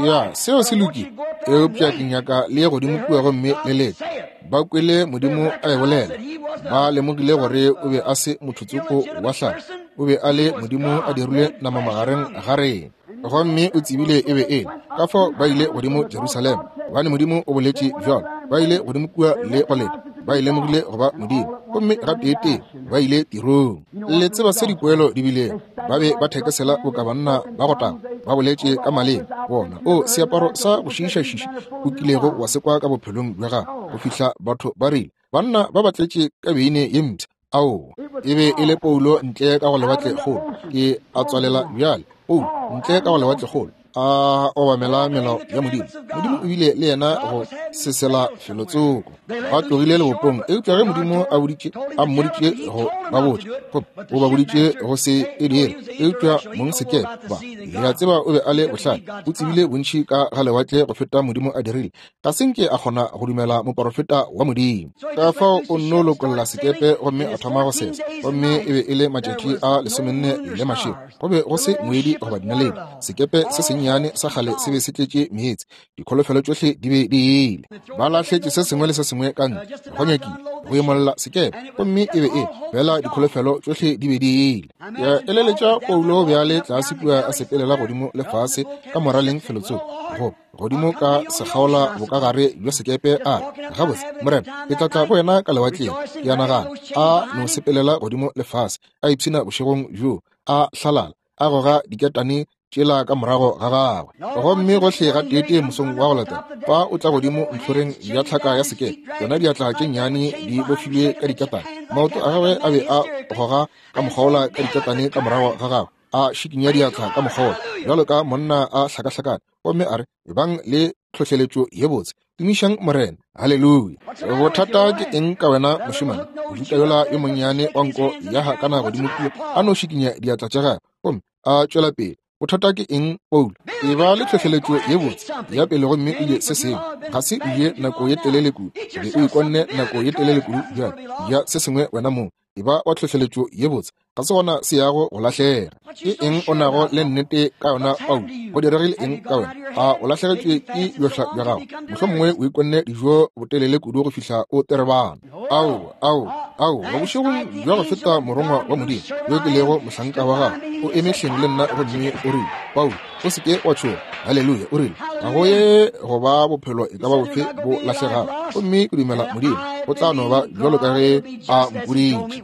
Ya, seo se lokile. Eupša ke nyaka le ye godimo kua gomme le lete. Ba kwele Modimo a e bolela. Ba lemogile gore o be a se motho tsoko wa hlago. O be a le Modimo a dirile nama magareng ga rena. Gomme o tsebile e be e le. Ka fao ba ile godimo Jerusalema, gobane Modimo o boletše bjalo. Ba ile godimo kua le go leta. Ba e lemogile go ba Modimo, gomme gateetee ba ile tirong. Le tseba se dipoelo di bilego. Ba be ba thekesela boka banna ba go tagwa, ba boletše ka maleme. Bona, o seaparo sa go šiišašiša o kilego wa se kwa ka bophelong bja gago, go fihla batho ba rile, banna ba ba tletše ka beine ye mpsha. Aowa, e be e le Paulo ntle ka go lewatlekgolo. Ke a tswalela bjale. Paulo ntle ka go lewatlekgolo, a obamela melao ya Modimo. Modimo o bile le yena go sesela felotsoko. Ba tlogile lebopong, eupša ge Modimo a boditše, a mmoditše go ba botša, gomme o ba boditše go se e dire, eupša mong sekepe ba, le a tseba o be a le bohlale, o tsebile bontši ka ga lewatle go feta Modimo a dirile. Ga se nke a kgona go dumela moporofeta wa Modimo. Ka fao o nno lokolla sekepe gomme a thoma go sesa, gomme e be e le matšatši a lesomenne le mašego. Go be go se moedi goba dinaledi. Sekepe se sennyane sa kgale se be se tletše meetse. Dikholofelo tšohle di be di ile. Ba lahletše se sengwe le se sengwe ka ntle, go nyakile go imolla sekepe, gomme e be e fela dikholofelo tšohle di be di ile. Ke eleletša Paulo bjale tlase kua a sepelela godimo le fase ka moraleng felotsoko, go godimo ka sekgaola bokagare bja sekepe, a re, gabotse Morena, ke tla tla go wena ka lewatleng. Ke a nagana a no sepelela godimo le fase, a ipshina bošegong bjo, a hlalala, a goga diketane tšela ka morago ga gagwe. Gomme gohle ga teetee mosong wa go latela, fa o tla godimo ntlhoreng ya tlhaka ya sekepe, yona diatla tše nnyane di bofilwe ka diketane. Maoto a gagwe a be a goga ka mokgaola ka diketane ka morago ga gagwe, a šikinya diatla ka mokgaola bjalo ka monna a hlakahlakane, gomme a re, ebang le tlhohleletšo ye botse. Tumišang Morena. Haleluya. Bothata ke eng ka wena mošemane? Mojuta yola yo monnyane wa nko ya hakana godimo kua, a no šikinya diatla tša gagwe gomme a tšwela pele. Bothata ke eng, Paulo? E ba le tlhohleletšo ye botse ya pele gomme o je se sengwe. Ga se o je nako ye telele kudu, be o ikonne nako ye telele kudu bjale. Ja se sengwe wena mong. E ba wa tlhohleletšo ye botse, ga se gona se yago go lahlega. Ke eng o nago le nnete ka yona, Paulo? Go diregile eng ka wena? A o lahlegetšwe ke bjohla bja gago? Mohlomongwe o ikonne dijo botelele kudu go fihla o terebana. Ao, ao, ao, bošegong bja go feta morongwa wa Modimo yo ke lego mohlanka wa gagwe o eme hleng le nna gomme o rile, Paulo, o se ke wa tšhoga. Haleluya. O rile, ga go ye go ba bophelo e ka ba bofe bo lahlegago, gomme ke dumela Modimo o tla no ba bjalo ka ge a mpoditše.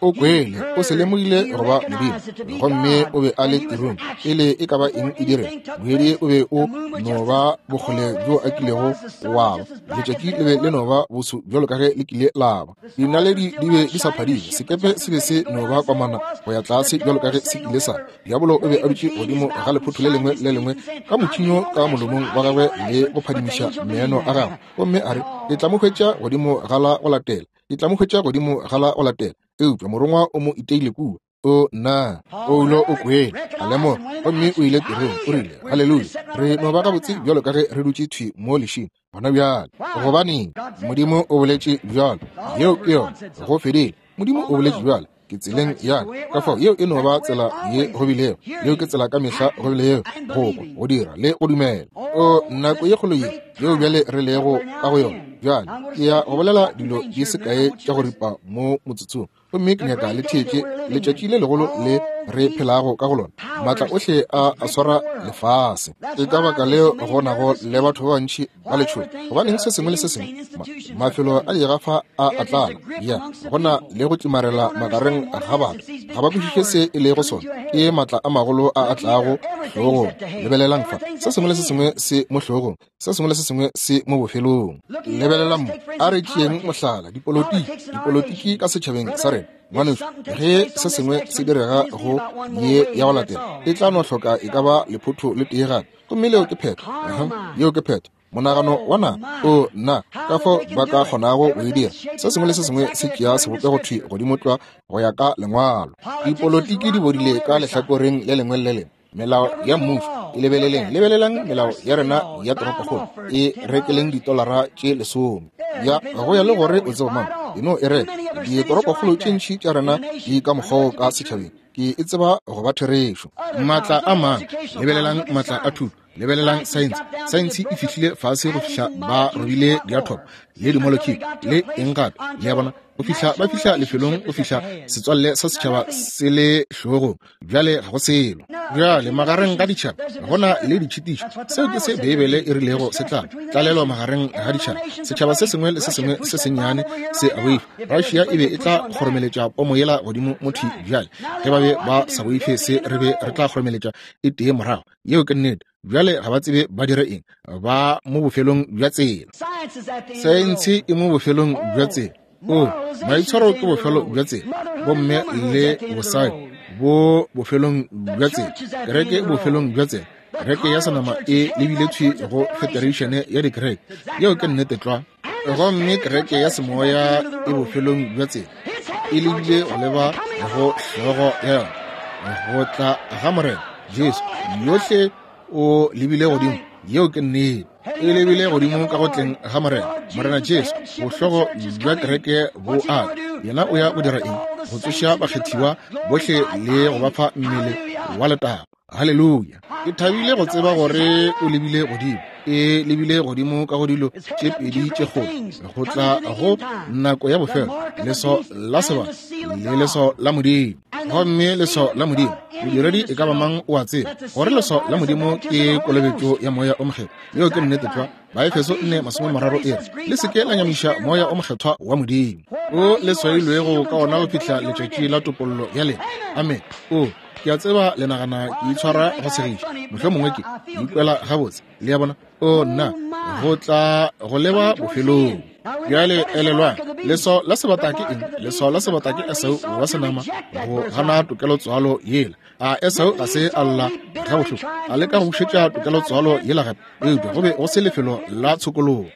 O kwele, o se lemogile go ba Modimo, gomme o be a le tirong pele e ka ba eng e dire. Moedi o be o no ba bokgole bjo a kilego wa ba, letšatši le be le no ba boso bjalo ka ge le kile la ba. Dinaledi di be di sa phadime, sekepe se be se no ba kwamana go ya tlase bjalo ka ge se kile sa. Diabolo o be a dutše godimo ga lephotho le lengwe le lengwe ka motšhinyo ka molomong wa gagwe le go phadimiša meno a gagwe, gomme a re, ke tla mo hwetša godimo ga la go latela, ke tla mo hwetša godimo ga la go latela. Eupša morongwa o mo iteile kua. O nna, Paulo o kwele, a lemoga, gomme o ile tirong. O rile, haleluya, re no ba gabotse bjalo ka ge re dutše thwi mo lešing gona bjale. Gobaneng? Modimo o boletše bjalo. Yeo ke yona, go fedile. Modimo o boletše bjalo, ke tseleng ya ka fao. Yeo e no ba tsela ye go bilego, yeo ke tsela ka mehla go bilego, go kwa, go dira le go dumela. O nako ye kgolo ye yeo bjale re lego ka go yona bjale, ke ya go bolela dilo di se kae tša go ripa mo motsotsong, gomme ke nyaka le theetše letšatši le legolo le re phelago ka go lona. Maatla ohle a a swara lefase. Ke ka baka leo go nago le batho ba bantši ba letšhogo. Gobaneng se sengwe le se sengwe, mafelo a digafa a a tlala, ya go na le go tlimarela magareng ga batho. Ga ba kwešiše se e lego sona. Ke maatla a magolo a a tlago hlogong. Lebelelang fa, se sengwe le se sengwe se mo hlogong, se sengwe le se sengwe se mo bofelong. Lebelelang mo, a re tšeeng mohlala, dipolotiki, dipolotiki ka setšhabeng sa rena. Ngwanešu, ge se sengwe se direga go ye ya go latela, e tla no hloka e ka ba lephotho le tee gape, gomme leo ke phetho. Yeo ke phetho. Monagano wa nama, o nna, ka fao ba ka kgonago go e dira. Se sengwe le se sengwe se tšea sebopego thwi godimo tlwa go ya ka lengwalo. Dipolotiki di bodile ka lehlakoreng le lengwe le lengwe. Melao ya mmušo, e lebeleleng, lebelelang melao ya rena ya toropokgolo, e rekeleng ditolara tše lesome. Ya go ya le gore o tseba mang, e no e reka. Ditoropokgolo tše ntši tša rena di ka mokgwa ka setšhabeng, ke e tseba go ba therešo. Maatla a mang, lebelelang maatla a thuto, lebelelang saense. Saense e fihlile fase go fihla ba robile diathomo le dimolekule le eng gape, le a bona, go fihla ba fihla lefelong go fihla setswalle sa setšhaba se le hlogong. Bjale ga go selo. Bjale magareng ga ditšhaba go na le ditšhitišo. Seo ke se Beibele e rilego se tla tlalelwa magareng ga ditšhaba. Setšhaba se sengwe le se sengwe se sennyane se a boifa. Russia e be e tla kgoromeletša pomo yela godimo mo thwi bjale. Ge ba be ba sa boife se, re be re tla kgoromeletša e tee morago. Yeo ke nnete. Bjale ga ba tsebe ba dire eng, ba mo bofelong bja tsela. Saense e mo bofelong bja tsela. O maitshwaro ke bofelo bja tsela, bomme le bosadi bo bofelong bja tsela, kereke bofelong bja tsela. Kereke ya senama e lebile thwi go federation ya dikereke. Yeo ke nnete tlwa. Gomme kereke ya semoya e bofelong bja tsela, e lebile go leba go hlogo ya yona, go tla ga Morena Jesu. Yohle o lebile godimo. Yeo ke nnete. E lebile godimo ka go tleng ga Morena, Morena Jesu. Bohlogo bja kereke bo a yena o ya go dira eng? Go tsoša bakgethiwa bohle le go ba fa mmele wa letago. Haleluya. Ke thabile go tseba gore o lebile godimo. E lebile godimo ka go dilo tše pedi tše kgolo, go tla go nako ya bofelo, leso la sebaka le leso la Modimo. Gomme leso la Modimo, modiredi e ka ba mang o a tseba gore leso la Modimo ke kolobetšo ya Moya o Mokgethwa. Yeo ke nnete tlwa. Baefeso nne masome mararo e re, le se ke la nyamiša Moya o Mokgethwa wa Modimo, o le swailwego ka ona go fihla letšatši la topollo ya lena. Amen. O ke a tseba le nagana ke itshwara go segiša, mohlomongwe ke ikwela gabotse, le a bona. O nna, go tla go leba bofelong. Bjale elelwang, leswao la sebata ke eng? Leswao la sebata ke Esau wa senama go gana tokelotswalo yela. A Esau ga se a lla ga bohloko, a leka go bušetša tokelotswalo yela gape, eupša go be go se lefelo la tshokologo.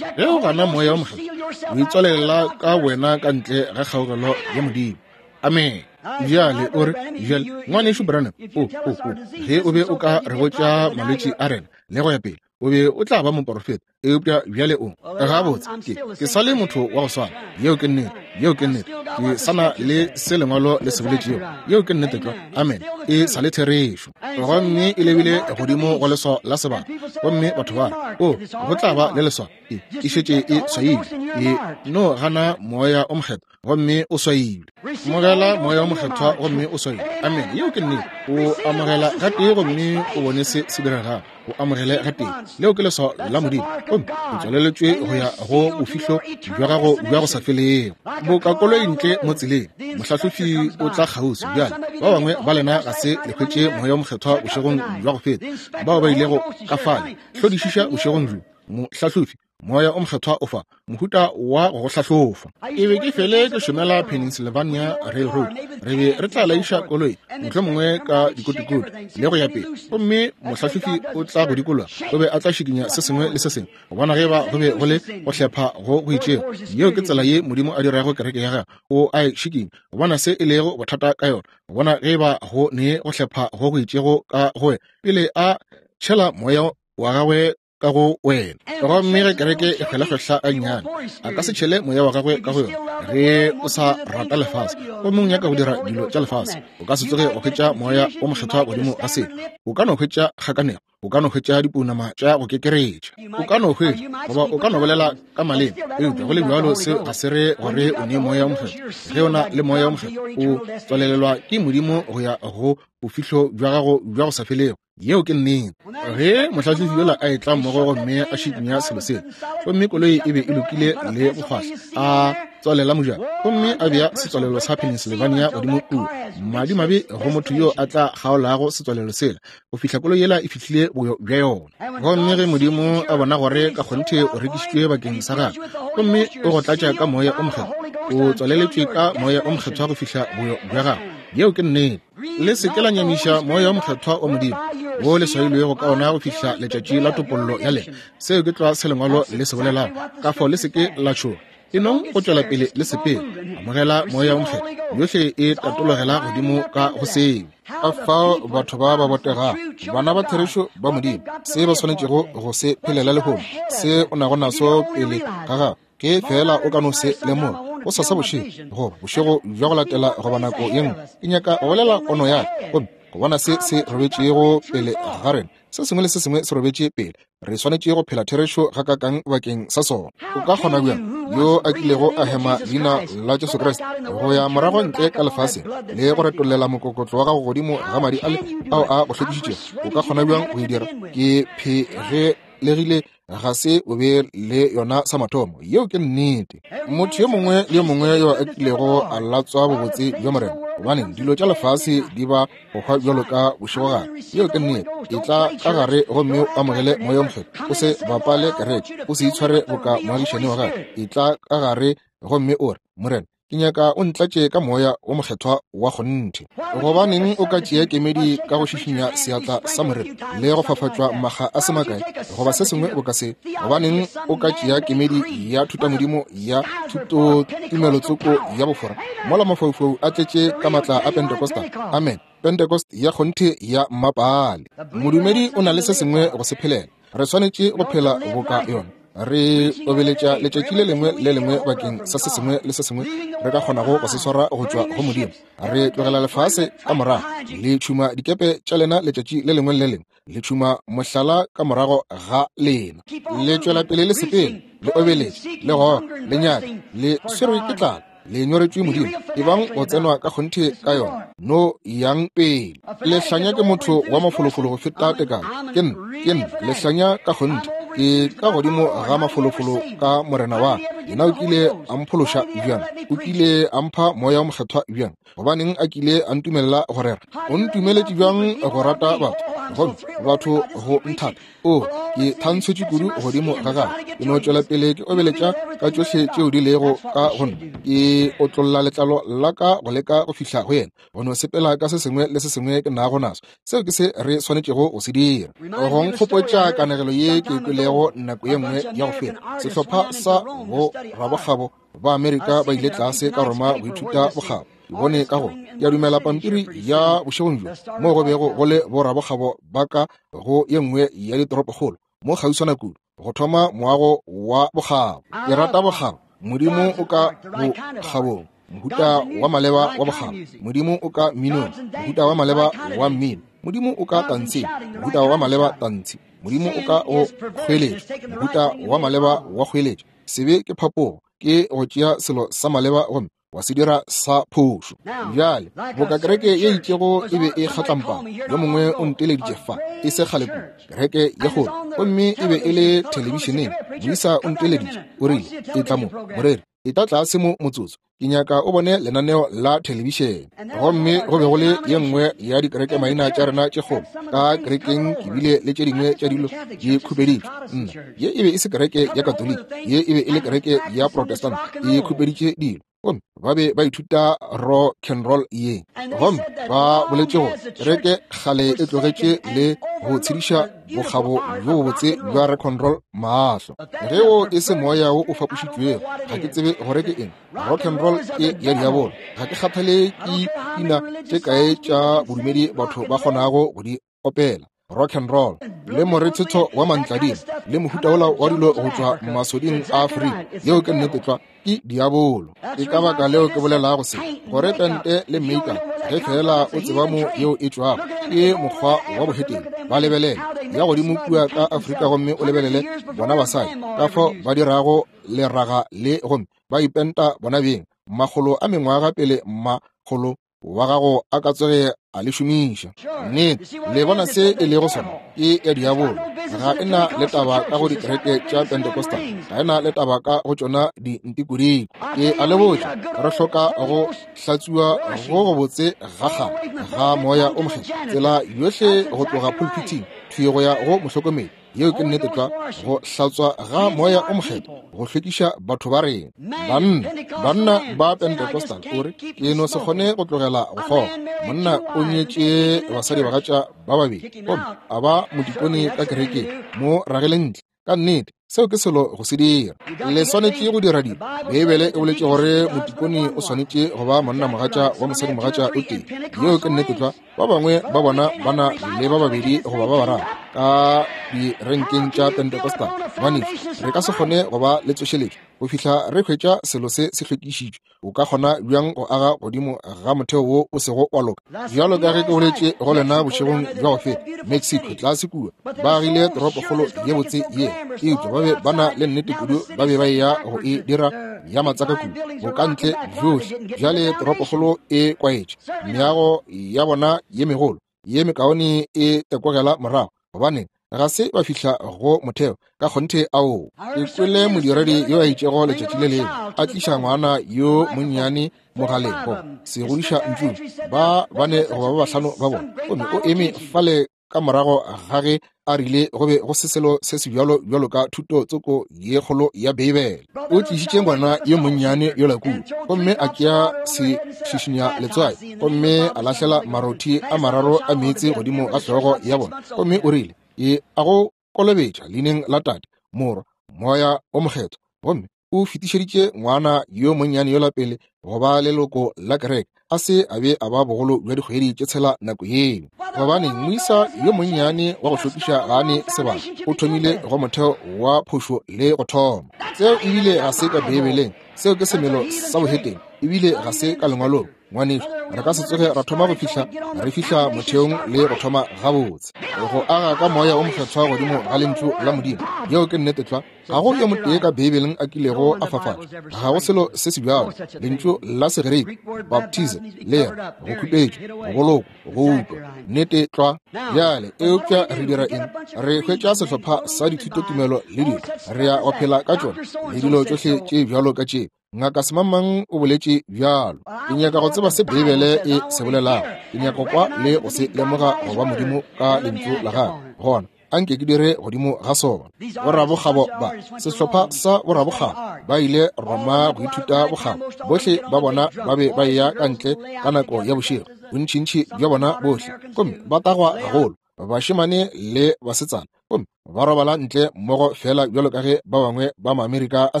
Ge o gana Moya wo Mokgethwa, o itswalela ka wena ka ntle ga kgaogelo ya Modimo. Amen. Bjale o re, bjale ngwanešu Branham, o o o ge o be o ka re botša malwetši a rena le go ya pele, o be o tla ba moporofeta. Eupša bjale o gabotse, ke ke sa le motho wa go swana. Yeo ke nnete, yeo ke nnete. Ke sa na le se lengwalo le se boletšego. Yeo ke nnete tlwa. Amen. E sa le therešo. Gomme e lebile godimo go leswao la sebata. Gomme batho ba re, o go tla ba le leswao. E e šetše e swailwe. E no gana Moya o Mokgethwa gomme o swailwe. Amogela Moya o Mokgethwa gomme o swailwe. Amen. Yeo ke nnete. O amogela gatee gomme o bone se se diregago. O amogele gatee. Leo ke leswao la Modimo. Gomme o tswaleletšwe go ya go bofihlo bja gago bja go sa felego. Boka koloi ntle mo tseleng, mohlahlofi o tla kgauswi. Bjale ba bangwe ba lena ga se le hwetše Moya o Mokgethwa bošegong bja go feta, bao ba ilego ka fale. Hlodišiša bošegong bjo, mohlahlofi Moya o Mokgethwa o fa mohuta wa go go hlahlofa. Ke be ke fele ke šomela Pennsylvania Railroad. Re be re tla laiša koloi mohlomongwe ka dikotikoti le go ya pele, gomme mohlahlofi o tla go dikologa, o be a tla šikinya se sengwe le se sengwe go bona ge ba go be go le go hlepha go go itšego. Yeo ke tsela ye Modimo a dirago kereke ya gagwe. O a e šikinya go bona se e lego bothata ka yona, go bona ge ba go ne go hlepha go go itšego ka go wena pele a tšhela moya wa gagwe ka go wena. Gomme ge kereke e kgwelakgwehla a nnyane, a ka se tšhele moya wa gagwe ka go yona. Ge o sa rata lefase gomme o nyaka go dira dilo tša lefase, o ka se tsoge go hwetša Moya o Mokgethwa godimo ga seo. O ka no hwetša kgakanego, o ka no hwetša dipounama tša go kekeretša, o ka no hwetša goba o ka no bolela ka maleme, eupša go le bjalo seo ga se re gore o ne Moya o Mokgethwa. Ge o na le Moya o Mokgethwa, o tswalelelwa ke Modimo go ya go bofihlo bja gago bja go sa felego. Yeo ke nnete. Ge mohlahlofi yola a etla mmogo gomme a šikinya selo sela, gomme koloi e be e lokile le go fahla, a tswalela mojako gomme a bea setswalelo sa Pennsylvania godimo kua. Madimabe go motho yo a tla kgaolago setswalelo sela go fihla koloi yela e fihlile boyo bja yona. Gomme ge Modimo a bona gore ka kgonthe o rekišitšwe bakeng sa gagwe, gomme o go tlatša ka Moya o Mokgethwa, o tswaleletšwe ka Moya o Mokgethwa go fihla boyo bja gagwe. Yeo ke nnete. Le se ke la nyamiša Moya o Mokgethwa wa Modimo wo le swailwego ka ona go fihla letšatši la topollo ya lena. Seo ke tlwa se lengwalo le se bolelago. Ka fao le se ke la tšhoga. E nong go tšwela pele le sepele. Amogela Moya o Mokgethwa, yohle e tatologela godimo ka go seo. Ka fao batho ba ba botegago, bana ba therešo ba Modimo, se ba swanetšego go se phelela lehono, se o nago naso pele ga gago, ke fela o ka no se lemoga go sasa bošego goba bošego bja go latela goba nako ye nngwe. Ke nyaka go bolela pono ya ka gomme go bona se se robetšego pele ga rena. Se sengwe le se sengwe se robetše pele. Re swanetše go phela therešo gakakang bakeng sa sona. O ka kgona bjang, yo a kilego a hema leina la Jesu Kriste, go ya morago ntle ka lefaseng le go retollela mokokotlo wa gago godimo ga madi ale ao a go hlwekišitšego? O ka kgona bjang go e dira? Ke phegelegile ga se o be le yona sa mathomo. Yeo ke nnete. Motho yo mongwe le yo mongwe yo a kilego a latswa bobotse bja Morena, gobane dilo tša lefase di ba go hwa bjalo ka bošegogare. Yeo ke nnete. E tla ka gare gomme o amogele Moya o Mokgethwa. O se bapale kereke, o se itshware boka moagišane wa gago. E tla ka gare gomme o re, Morena, ke nyaka o ntlatše ka Moya o Mokgethwa wa kgonthe. Gobaneng o ka tšea kemedi ka go šišinya seatla sa Morena le go fafatšwa makga a se makae goba se sengwe boka se? Gobaneng o ka tšea kemedi ya thutamodimo ya thutotumelotsoko ya bofora mola mafaufau a tletše ka matla a Pentecostal? Amen. Pentecost ya kgonthe ya mmapale. Modumedi o na le se sengwe go se phelela. Re swanetše go phela boka yona. Re obeletša letšatši le lengwe le lengwe bakeng sa se sengwe le se sengwe re ka kgonago go se swara go tšwa go Modimo. Re tlogela lefase ka morago, le tšhuma dikepe tša lena letšatši le lengwe le lengwe, le tšhuma mohlala ka morago ga lena. Le tšwela pele le sepele, le obeletše, le goga, le nyaka, le swerwe ke tlala, le nyoretšwe Modimo. Ebang go tsenwa ka kgonthe ka yona, no yang pele. Lehlanya ke motho wa mafolofolo go feta tekano. Ke nna, ke nna lehlanya ka kgonthe. Ke ka godimo ga mafolofolo ka Morena wa ka. Yena o kile a mphološa bjang? O kile a mpha Moya o Mokgethwa bjang? Gobaneng a kile a ntumelela go rera? O ntumeletše bjang go rata batho? Gomme batho go nthata, o ke thantshetše kudu godimo ga gagwe, ke no tšwela pele ke obeletša ka tšohle tšeo di lego ka go nna, ke otlolla letlalo la ka go leka go fihla go yena, go no sepela ka se sengwe le se sengwe ke nago naso. Seo ke se re swanetšego go se dira. Go nkgopotša kanegelo ye ke kwelego nako ye nngwe ya go feta. Sehlopha sa bo rabokgabo ba Amerika ba ile tlase ka Roma go ithuta bokgabo. Ke bone ka go ke a dumela pampiri ya bošegong bjo mo go bego go le borabokgabo ba ka go ye nngwe ya ditoropokgolo mo kgauswana kudu go thoma moago wa bokgabo. Ke rata bokgabo. Modimo o ka bokgabong, mohuta wa maleba wa bokgabo. Modimo o ka mminong, mohuta wa maleba wa mmino. Modimo o ka tantsheng, mohuta wa maleba tantshi. Modimo o ka go kgweletša, mohuta wa maleba wa kgweletša. Sebe ke phapogo, ke go tšea selo sa maleba gomme wa se dira sa phošo. Bjale boka kereke ye itšego e be e kgatlampana, yo mongwe o nteleditše fa e se kgale kudu, kereke ye kgolo, gomme e be e le thelebišeneng. Moisa o nteleditše, o rile, etla mo moreri, etla tlase mo motsotso, ke nyaka o bone lenaneo la thelebišene. Gomme go be go le ye nngwe ya dikereke maina tša rena tše kgolo. Ka kerekeng ke bile le tše dingwe tša dilo di khupeditšwe. Nna, ye e be e se kereke ya Katoliki, ye e be e le kereke ya Protestant, e khupeditše dilo. Gomme ba be ba ithuta rock and roll ye. Gomme ba boletše gore kereke kgale e tlogetše le go tshediša bokgabo bjo bobotse bja rock and roll mahlo. Ge o e se moya wo o fapošitšwego, ga ke tsebe gore ke eng. Rock and roll ke ya diabolo. Ga ke kgathale ke pina tše kae tša bodumedi batho ba kgonago go di opela. Rock and roll le morethetho wa mantladima le mohuta wola wa dilo go tšwa masoding a Afrika, yeo ke nnete tlwa, ke diabolo. Ke ka baka leo ke bolelago se, gore pente le makeup, ge fela o tseba mo yeo e tšwago, ke mokgwa wa bohetene. Ba lebelele ya godimo kua ka Afrika gomme o lebelele bona basadi ka fao ba dirago leraga le, gomme ba ipenta bona beng makgolo a mengwaga pele makgolo wa gago a ka tsoge a le šomiša. Nnete, le bona se e lego sona, ke ya diabolo. Ga e na le taba ka go dikereke tša Pentecostal, ga e na le taba ka go tšona dintikodiko. Ke a le botša, re hloka go hlatsuwa go gobotse ga kgale ga moya o mokgethwa, tsela yohle go tloga pulpiting thwi go ya go mohlokomedi. Yeo ke nnete tlwa, go hlatswa ga moya o mokgethwa, go hlwekiša batho ba rena. Banna, banna ba Pentecostal, o re, ke no se kgone go tlogela go kgoga. Monna o nyetše basadi bagatša ba babedi, gomme a ba modikone ka kerekeng, mo ragele ntle. Ka nnete, seo ke selo go se dira. Le swanetše go dira dilo. Beibele e boletše gore motikone o swanetše go ba monna mogatša wa mosadi mogatša o tee. Yeo ke nnete tlwa. Ba bangwe ba bona ba na le ba babedi goba ba bararo ka direnkeng tša Pentecostal. Ngwanešu, re ka se kgone go ba le tsošeletšo go fihla re hwetša selo se se hlwekišitšwe. O ka kgona bjang go aga godimo ga motheo wo o sego wa loka? Bjalo ka ge ke boletše go lena bošegong bja go feta, Mexico tlase kua ba agile toropokgolo ye botse ye, eupša ba be ba na le nnete kudu ba be ba eya go e dira ya matsaka kudu go ka ntle bjohle. Bjale toropokgolo e kwaetše, meago ya bona ye megolo ye mekaone e tekogela morago, gobane ga se ba fihla go motheo ka kgonthe. Ao, ke kwele modiredi yo a itšego letšatši le lengwe a tliša ngwana yo monnyane mogaleng go se godiša ntšung, ba bane goba ba bahlano ba bona, gomme o eme fale ka morago ga ge a rile go be go se selo se se bjalo bjalo ka thuto tsoko ye kgolo ya Beibele. O tlišitše ngwana yo monnyane yola kua, gomme a tšea se šišinya letswai, gomme a lahlela marothi a mararo a meetse godimo ga hlogo ya bona, gomme o rile, ke a go kolobetša leineng la Tate, Morwa, Moya o Mokgethwa. Gomme o fetišeditše ngwana yo monnyane yola pele go ba leloko la kereke, a se a be a ba bogolo bja dikgwedi tše tshela nako yeo. Gobane moisa yo monnyane wa go hlokiša ga a ne sebaka, o thomile go motheo wa phošo le go thoma. Seo ebile ga se ka Beibeleng, seo ke semelo sa bohetene, ebile ga se ka lengwalong. Ngwanešu, re ka se tsoge ra thoma go fihla re fihla motheong le go thoma gabotse go aga ka moya o mokgethwa godimo ga lentšu la Modimo. Yeo ke nnete tlwa. Ga go yo motee ka Beibeleng a kilego a fafatšwa, ga go selo se se bjalo. Lentšu la Segerike baptize le re go khupetšwa, go bolokwa, go utwa. Nnete tlwa. Bjale eupša re dira eng? Re hwetša sehlopha sa dithutotumelo le dilo, re ya go phela ka tšona le dilo tšohle tše bjalo ka tše. Ngaka Semangmang o boletše bjalo. Ke nyaka go tseba se Beibele e se bolelago. Ke nyaka kwa le go se lemoga go ba Modimo ka lentšu la gagwe. Gona anke ke dire godimo ga sona. Borabokgabo ba sehlopha sa borabokgabo ba ile Roma go ithuta bokgabo. Bohle ba bona ba be ba eya ka ntle ka nako ya bošego, bontšintši bja bona bohle, gomme ba tagwa gagolo, bašemane le basetsana, gomme ba robala ntle mmogo fela bjalo ka ge ba bangwe ba Maamerika a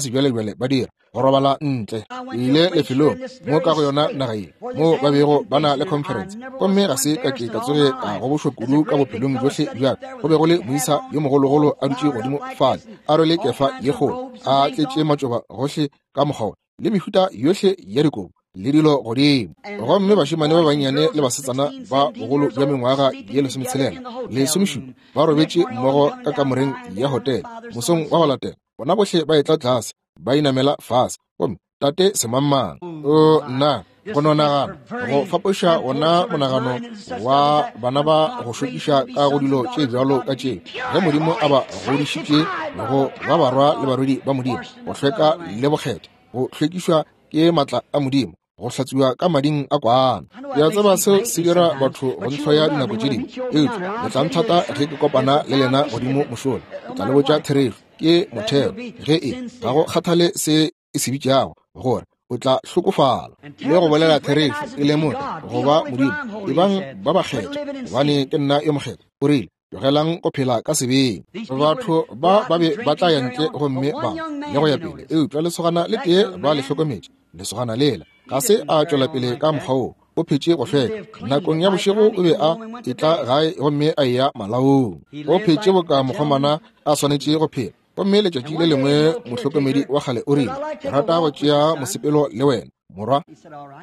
sebjalebjale ba dira, go robala ntle. Ke ile lefelong mo ka go yona naga ye mo ba bego ba na le conference, gomme ga se ka ke ka tsoge ka gobošwa kudu ka bophelong bjohle bja ka. Go be go le moisa yo mogologolo a dutše godimo fale, a rwele kefa ye kgolo, a tletše matšoba gohle ka mokgwa, le mehuta yohle ya dikobo le dilo godimo. Gomme bašemane ba bannyane le basetsana ba bogolo bja mengwaga ye lesometshelela lesomešupa ba robetše mmogo ka kamoreng ya hotele. Mosong wa go latela bona bohle ba etla tlase, ba inamela fase, gomme tate Semangmang. O nna, go no nagana go fapoša wona monagano wa bana ba go šokiša ka go dilo tše bjalo ka tše, ge Modimo a ba godišitše go ba barwa le barwedi ba Modimo, go hlweka le bokgethwa, go hlwekišwa ke matla a Modimo, go hlatswiwa ka mading a kwana. Ke a tseba seo se dira batho go ntlhoya dinako tše dingwe, eupša le tla nthata ge ke kopana le lena godimo mošola. Ke tla le botša therešo, ke motheo. Ge e ga go kgathale se e se bitšago, gore o tla hlokofala. Le go bolela therešo, e lemoge go ba Modimo, ebang ba bakgethwa, gobane ke nna yo mokgethwa. O rile, tlogelang go phela ka sebeng. Batho ba ba be ba tla ya ntle gomme ba le go ya pele, eupša lesogana le tee ba le hlokometše. Lesogana lela ga se a tšwela pele ka mokgwa wo, o phetše go hlweka. Nakong ya bošego o be a etla gae gomme a eya malaong. O phetše boka mokgomana a swanetše go phela. Gomme letšatši le lengwe mohlokomedi wa kgale o rile, ke rata go tšea mosepelo le wena, morwa.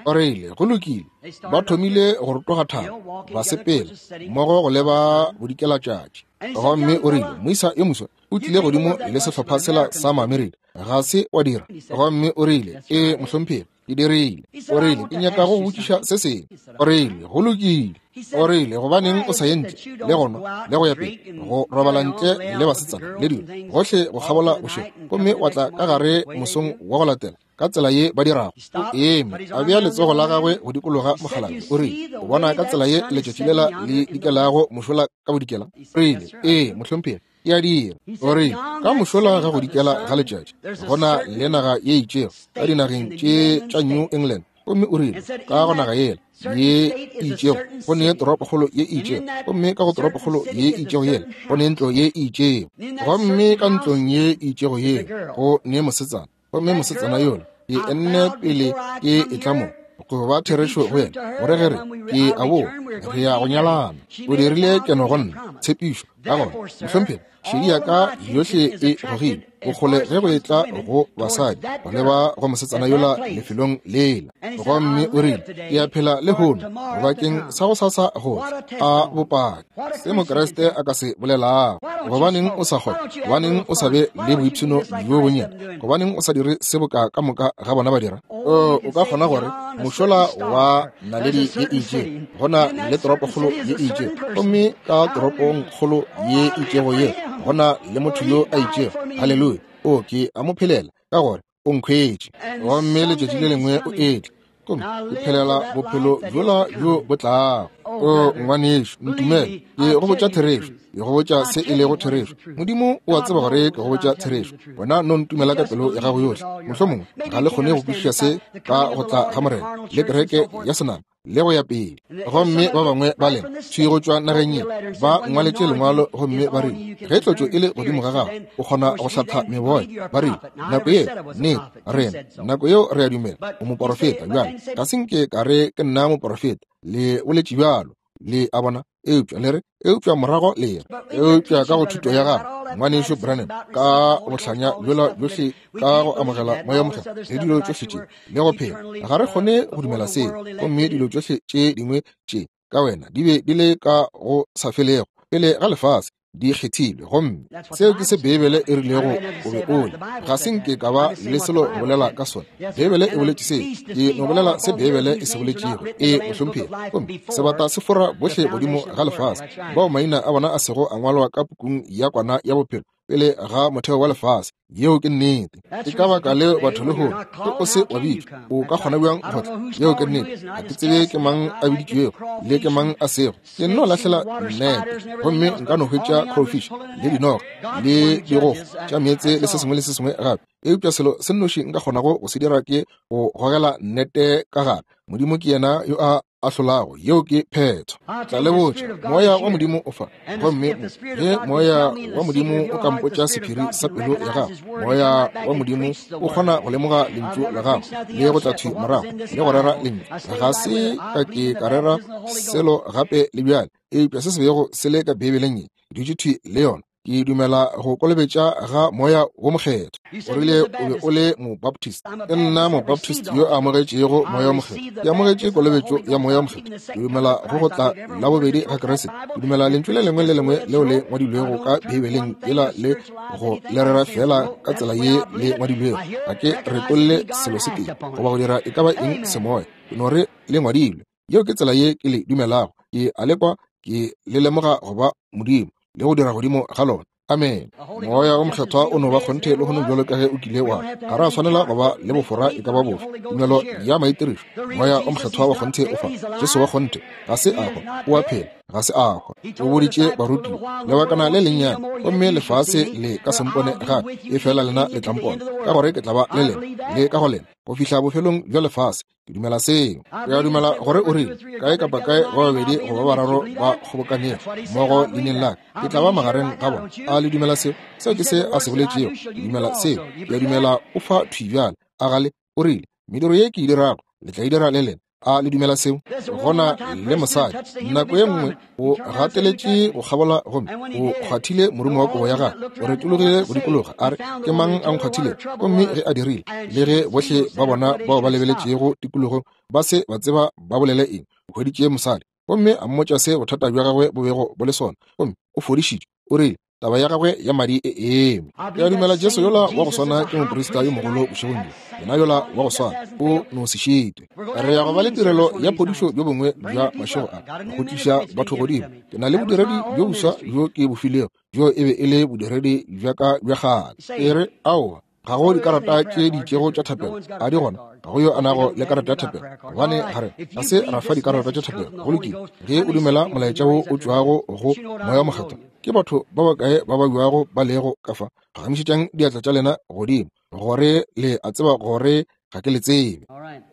O rile, go lokile. Ba thomile go rotoga thaba, ba sepela mmogo go leba bodikelatšatši. Gomme o rile, moisa yo moswa o tlile godimo le sehlopha sela sa Maamerika, ga se wa dira? Gomme o rile, ee mohlomphegi, ke dirile. O rile, ke nyaka go botšiša se sengwe. O rile, go lokile. O rile, gobaneng o sa ye ntle le go nwa le go ya pele, go robala ntle le basetsana le dilo gohle go kgabola bošego, gomme wa tla ka gare mosong wa go latela ka tsela ye ba dirago? O eme, a bea letsogo la gagwe go dikologa mokgalabje. O rile, o bona ka tsela ye letšatši lela le dikelago mošola ka bodikela? O rile, ee mohlomphegi, ke a dira. O rile, ka mošola ga go dikela ga letšatši go na le naga ye itšego ka dinageng tše tša New England. Gomme o rile, ka go naga yela ye itšego go ne toropokgolo ye itšego, gomme ka go toropokgolo ye itšego yela go ne ntlo ye itšego, gomme ka ntlong ye itšego yela go ne mosetsana, gomme mosetsana yola ke enne pele ke etla mo go ba therešo go yena, gore ge re ke a boa re ya go nyalana. O dirile keno go nna tshepišo. Ka gona mohlomphegi, šedi ya ka yohle e gogile bokgole ge go etla go basadi go leba go mosetsana yola lefelong lela. Gomme o rile, ke a phela lehono bakeng sa go sasa go a bopaki se Mokriste a ka se bolelago. Gobaneng o sa kgone? Gobaneng o sa be le boipshino bjo bonnyane? Gobaneng o sa dire se boka ka moka ga bona ba dira? O ka kgona gore mošola wa naledi ye itšego go na le toropokgolo ye itšego, gomme ka toropongkgolo ye itšego ye go na le motho yo a itšego. Haleluya! O ke a mo phelela ka gore o nkhwetše. Gomme letšatši le lengwe o etla, gomme ke phelela bophelo bjola bjo bo tlago. O ngwanešo, ntumele, ke go botša therešo, ke go botša se e lego therešo. Modimo o a tseba gore ke go botša therešo. Wena no ntumela ka pelo ya gago yohle. Mohlomongwe ga le kgone go kwešiša se ka go tla ga Morena le kereke ya senama le go ya pele. Gomme ba bangwe ba lena thwi go tšwa nageng ye ba ngwaletše lengwalo, gomme ba rile, ge tlotšo e le godimo ga gago o kgona go hlatha meboya. Ba rile, nako yeo nnete rena, nako yeo re a dumela o moporofeta. Bjale ga se nke ka re ke nna moporofeta, le boletše bjalo, le a bona. Eupša le re, eupša morago le re, eupša ka go thuto ya gago ngwanešo Branham, ka bohlanya bjola bjohle, ka go amogela moya mokgethwa le dilo tšohle tše le go phela, ga re kgone go dumela seo. Gomme dilo tšohle tše dingwe tše ka wena di be di le ka go sa felego pele ga lefase, di kgethilwe. Gomme seo ke se Beibele e rilego o be o le. Ga se nke ka ba le selo go bolela ka sona. Beibele e boletše seo, ke no bolela se Beibele e se boletšego. E mohlomphegi. Gomme sebata se fora bohle godimo ga lefase, bao maina a bona a sego a ngwalwa ka pukung ya kwana ya bophelo pele ga motheo wa lefase. Yeo ke nnete. Ke ka baka leo batho lehono ge o se wa bitšwa, o ka kgona bjang go tla? Yeo ke nnete. Ga ke tsebe ke mang a biditšwego le ke mang a sego. Ke nno lahlela nnete gomme nka no hwetša crowfish le dinoga le digogo tša meetse le se sengwe le se sengwe gape. Eupša selo se nnoši nka kgonago go se dira ke go gogela nnete ka gare. Modimo ke yena yo a ahlolago. Yeo ke phetho. Tla le botša, moya wa Modimo o fa. Gomme ge moya wa Modimo o ka mpotša sephiri sa pelo ya gago, moya wa Modimo o kgona go lemoga lentšu la gago le go tla thwi morago le go rera lentšu. Ga se ka ke ka rera selo gape le bjale, eupša se se bego se le ka Beibeleng ye, ke dutše thwi le yona. Ke dumela go kolobetša ga moya wo mokgethwa. O rile o be o le mobaptist. Ke nna mobaptist yo a amogetšego moya wo mokgethwa. Ke amogetše kolobetšo ya moya wo mokgethwa. Ke dumela go go tla la bobedi ga Kriste. Ke dumela lentšu le lengwe le lengwe leo le ngwadilwego ka Beibeleng yela le go le rera fela ka tsela ye le ngwadilwego. Ga ke retolle selo se tee goba go dira e ka ba eng semoya. Ke no re le ngwadilwe. Yeo ke tsela ye ke le dumelago. Ke a lekwa, ke le lemoga go ba Modimo le go dira godimo ga lona. Amen. Moya o mokgethwa o no ba kgonthe le gono bjalo ka ge o kile wa. Ga ra swanela go ba le bofora e ka ba bofe. Tumelo ya maitirišo. Moya o mokgethwa wa kgonthe o fa. Jesu wa kgonthe ga se a hwa, o a phela, ga se a hwa. O boditše barutiwa lebakana le lennyane, gomme lefase le ka se mpone gape, e fela lena le tla mpona, ka gore ke tla ba le lena le ka go lena go fihla bofelong bja lefase. Ke dumela seo. Ke a dumela gore o rile kae kapa kae ba babedi goba bararo ba kgobokanego mmogo leineng la ka, ke tla ba magareng ga bona. A le dumela seo? Seo ke se a se boletšego. Ke dumela seo. Ke a dumela o fa thwi bjale. A gale o rile mediro ye ke e dirago le tla e dira le lena. A le dumela seo? Gona le mosadi nako ye nngwe o gateletše go kgabola gomme o kgwathile morumo wa kobo ya gagwe, o retologile go dikologa a re, ke mang a nkgwathile? Gomme ge a dirile, le ge bohle ba bona bao ba lebeletšego tikologong ba se ba tseba ba bolele eng, o hweditše mosadi gomme a mmotša se bothata bja gagwe bo bego bo le sona, gomme o fodišitšwe. O rile taba ya gagwe ya madi e eme. Ke a dumela Jesu yola wa go swana ke moprista yo mogolo bošegong bjo. Yena yola wa go swana o no se šitwe. Re ya go ba le tirelo ya phodišo bjo bongwe bja mašego a go tliša batho godimo. Ke na le bodiredi bjo boswa bjo ke bo filego, bjo e be e le bodiredi bja ka bja kgale. E re aowa, ga go dikarata tše di itšego tša thapelo, a di gona? Ga go yo a nago le karata ya thapelo, gobane ga re ga se ra fa dikarata tša thapelo. Go lokile, ge o dumela molaetša wo o tšwago go moya mokgethwa, ke batho ba bakae ba ba buago ba lego ka fa? Phagamišetšang diatla tša lena godimo gore le a tseba gore ga ke le tsebe.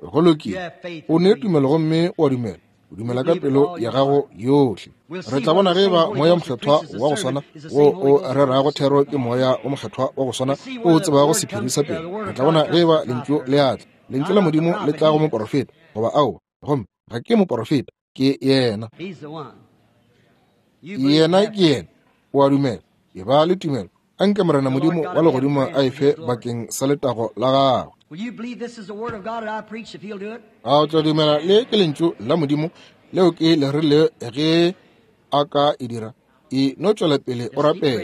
Go lokile, o ne tumelo gomme o a dumela. O dumela ka pelo ya gago yohle. Re tla bona ge ba moya mokgethwa wa go swana wo o rerago thero ke moya o mokgethwa wa go swana o tsebago sephiri sa pelo. Re tla bona ge ba lentšu le atla, lentšu la Modimo le tla go moporofeta goba aowa. Gomme ga ke moporofeta, ke yena. Yena ke yena. O a dumela, e ba le tumelo. Anke Morena Modimo wa legodimo a e fe bakeng sa letago la gagwe. A o tla dumela le ke lentšu la Modimo leo ke le rile ge a ka e dira? E no tšwela pele o rapela.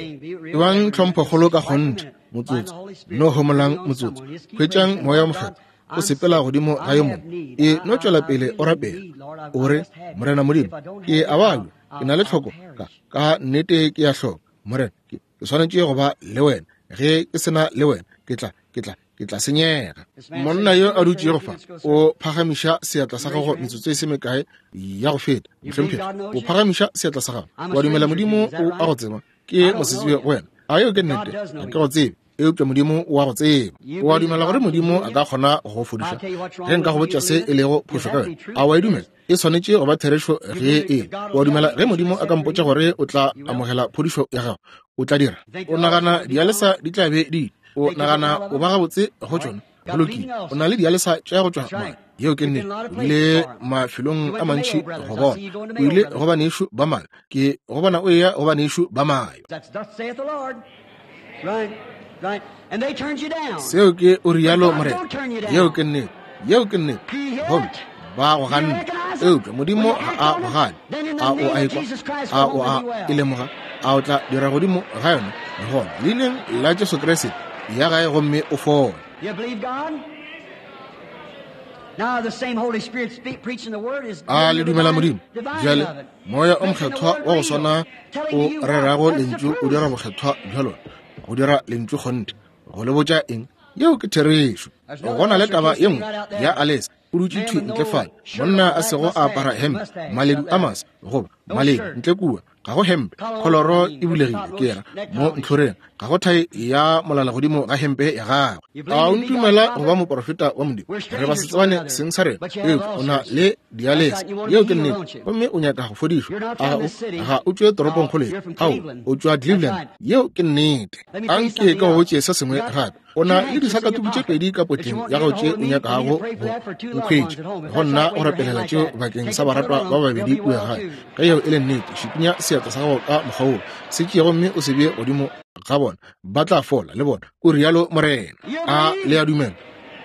Ebang tlhomphokgolo ka kgonthe motsotso, no homolang motsotso. Hwetšang moya o mokgethwa o sepela godimo ga yo mongwe. E no tšwela pele o rapela. O re, Morena Modimo, ke a babja, ke na le tlhoko ka ka nnete ke ya hloka. Morena, ke swanetše go ba le wena. Ge ke sena le wena, ke tla ke tla ke tla senyega. Monna yo a dutšego fa o phagamiša seatla sa gago metsotso e se mekae ya go feta. Mohlomphegi, o phagamiša seatla sa gago. Wa dumela Modimo o a go tseba? Ke mosetsebje go wena. A yeo ke nnete? Ga ke go tsebe, eupša Modimo o a go tseba. O a dumela gore Modimo a ka kgona go go fodiša? Ge nka go botša se e lego phošo ka wena, a wa e dumela? E swanetše go ba therešo ge e. O a dumela ge Modimo a ka mpotša gore o tla amogela phodišo ya gago, o tla dira? O nagana dialesa di tla be di o nagana o ba gabotse go tšona? Go lokile, o na le dialesa tša go tšwa madi. Yeo ke nnete. O ile mafelong a mantši go bona. O ile go banešu ba mayo. Ke go bona o eya go banešu ba mayo. Seo ke o rialo Morena. Yeo ke nnete. Yeo ke nnete. Gomme ba go ganne, eupša Modimo ga a go gane. A o a ekwa? A o a e lemoga? A o tla dira godimo ga yona? Gona leineng la Jesu Kriste ya gae gomme o fole. A le dumela Modimo? Bjale moya o mokgethwa wa go swana o rerago lentšu o dira bokgethwa bja lona, go dira lentšu kgonthe, go le botša eng. Yeo ke therešo. Go na le taba ye nngwe ya Alice, o dutše thwi ntle fale, monna a sego a apara hempe, maledu a masa goba maledu ntle kua, ga go hempe, kholoro e bulegile ke yena mo ntlhoreng, ga go thai ya molala godimo ga hempe ya gagwe. A o ntumela go ba moporofeta wa Modimo? Re ba se tsebane seng sa rena, eupša o na le dialese. Yeo ke nnete. Gomme o nyaka go fodišwa. A o ga o tšwe toropongkgolo ye? Ao, o tšwa Cleveland. Yeo ke nnete. Anke ka go botše se sengwe gape. O na le disakatuku tše pedi ka potleng ya gago tše o nyakago go nkhwetša, go nna go rapelela tšeo bakeng sa baratwa ba babedi kua gae. Ge yeo e le nnete, šikinya seatla sa gago ka mokgwa woo, se tšee gomme o se bee godimo ga bona, ba tla fola le bona, o rialo Morena. A le a dumela?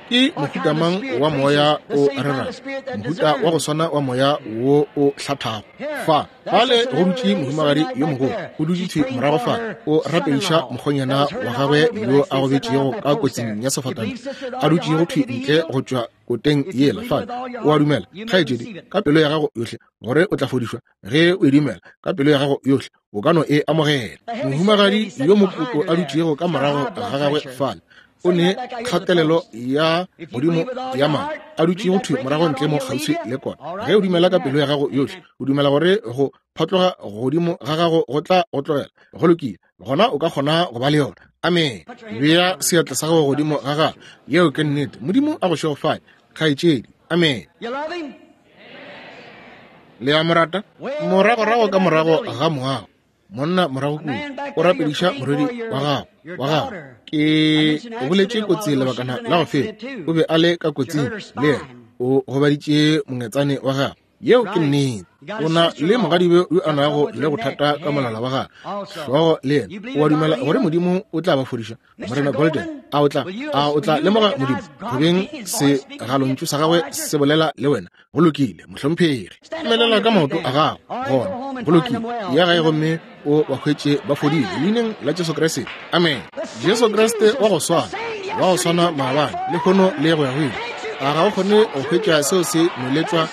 Ke mohuta mang wa moya o rerago? Mohuta wa go swana wa moya wo o hlathago. Fa fale go dutše mohumagadi yo mogolo, o dutše thwi morago fa, o rapediša mokgonyana wa gagwe yo a gobetšego ka kotsing ya sefatanaga, a dutšego thwi ntle go tšwa koteng yela fale. O a dumela, kgaetšedi, ka pelo ya gago yohle, gore o tla fodišwa? Ge o e dumela ka pelo ya gago yohle, o ka no e amogela. Mohumagadi yo mokoko a dutšego ka morago ga gagwe fale, o ne kgatelelo ya godimo ya madi, a dutšego thwi morago ntle mo kgauswi le kona. Ge o dumela ka pelo ya gago yohle, o dumela gore go phatloga godimo ga gago go tla go tlogela, go lokile, gona o ka kgona go ba le yona. Amen. Bea seatla sa gago godimo ga gago. Yeo ke nnete. Modimo a go šegofale, kgaetšedi. Amen. Le a mo rata? Moragorago ka morago ga moago, monna morago kua o rapediša morwedi wa gago wa gago. Ke o boletše kotsi lebakana la go feta, o be a le ka kotsing le yena, o gobaditše mongetsane wa gagwe. Yeo ke nnete. O na le mogadibe yo a nago le bothata ka molala wa gagwe, hlogo le yena. O a dumela gore Modimo o tla ba fodiša? Morena Golden, a o tla a o tla lemoga Modimo go beng segalontšu sa gagwe se bolela le wena? Go lokile, mohlomphegi. Emelela ka maoto a gago gona. Go lokile, ya gae gomme o ba hwetše ba fodile leineng la Jesu Kriste. Amen. Jesu Kriste wa go swana, wa go swana maabane, lehono le go ya go ile. A ga o kgone go hwetša seo se nweletšwa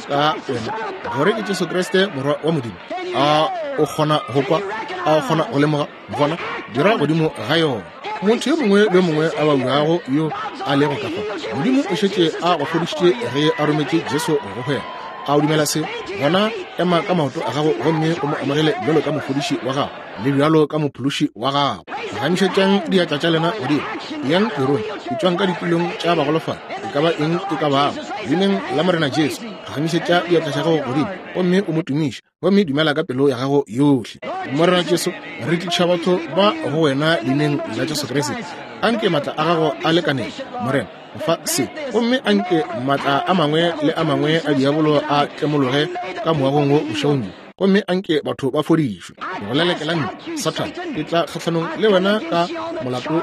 ka wena gore ke Jesu Kriste morwa wa Modimo? A o kgona go kwa? A o kgona go lemoga? Gona dira godimo ga yona. Motho yo mongwe le yo mongwe a babjago yo a lego ka fa, Modimo o šetše a go fodišitše ge a rometše Jesu go go wena. A o dumela se? Gona ema ka maoto a gago gomme o mo amogele bjalo ka mofodiši wa gago le bjalo ka mophološi wa gago. Phagamišetšang diatla tša lena godimo, yang tirong, etšwang ka ditulong tša bagolofadi, e ka ba eng e ka bago, leineng la Morena Jesu. Phagamišetša diatla tša gago godimo gomme o mo tumiše, gomme dumela ka pelo ya gago yohle. Morena Jesu, re tliša batho ba go wena leineng la Jesu Kriste. Anke maatla a gago a lekaneng, Morena, go fa se, gomme anke maatla a mangwe le a mangwe a diabolo a tlemologe ka moagong wo bošegong bjo, gomme anke batho ba fodišwe. Ke go lelekela ntle, Sathane, ke tla kgahlanong le wena ka molato go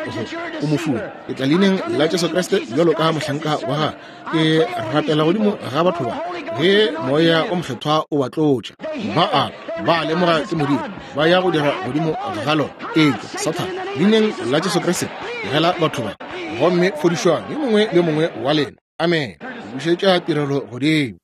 o mofuwe. Ke tla leineng la Jesu Kriste bjalo ka mohlanka wa gagwe. Ke rapela godimo ga batho ba, ge moya o mokgethwa o ba tlotša. Ba a ba lemoga ke Modimo, ba ya go dira godimo ga lona. Etšwa, Sathane, leineng la Jesu Kriste, tlogela batho ba, gomme fodišwang yo mongwe le mongwe wa lena. Amen. Bušetša tirelo godimo.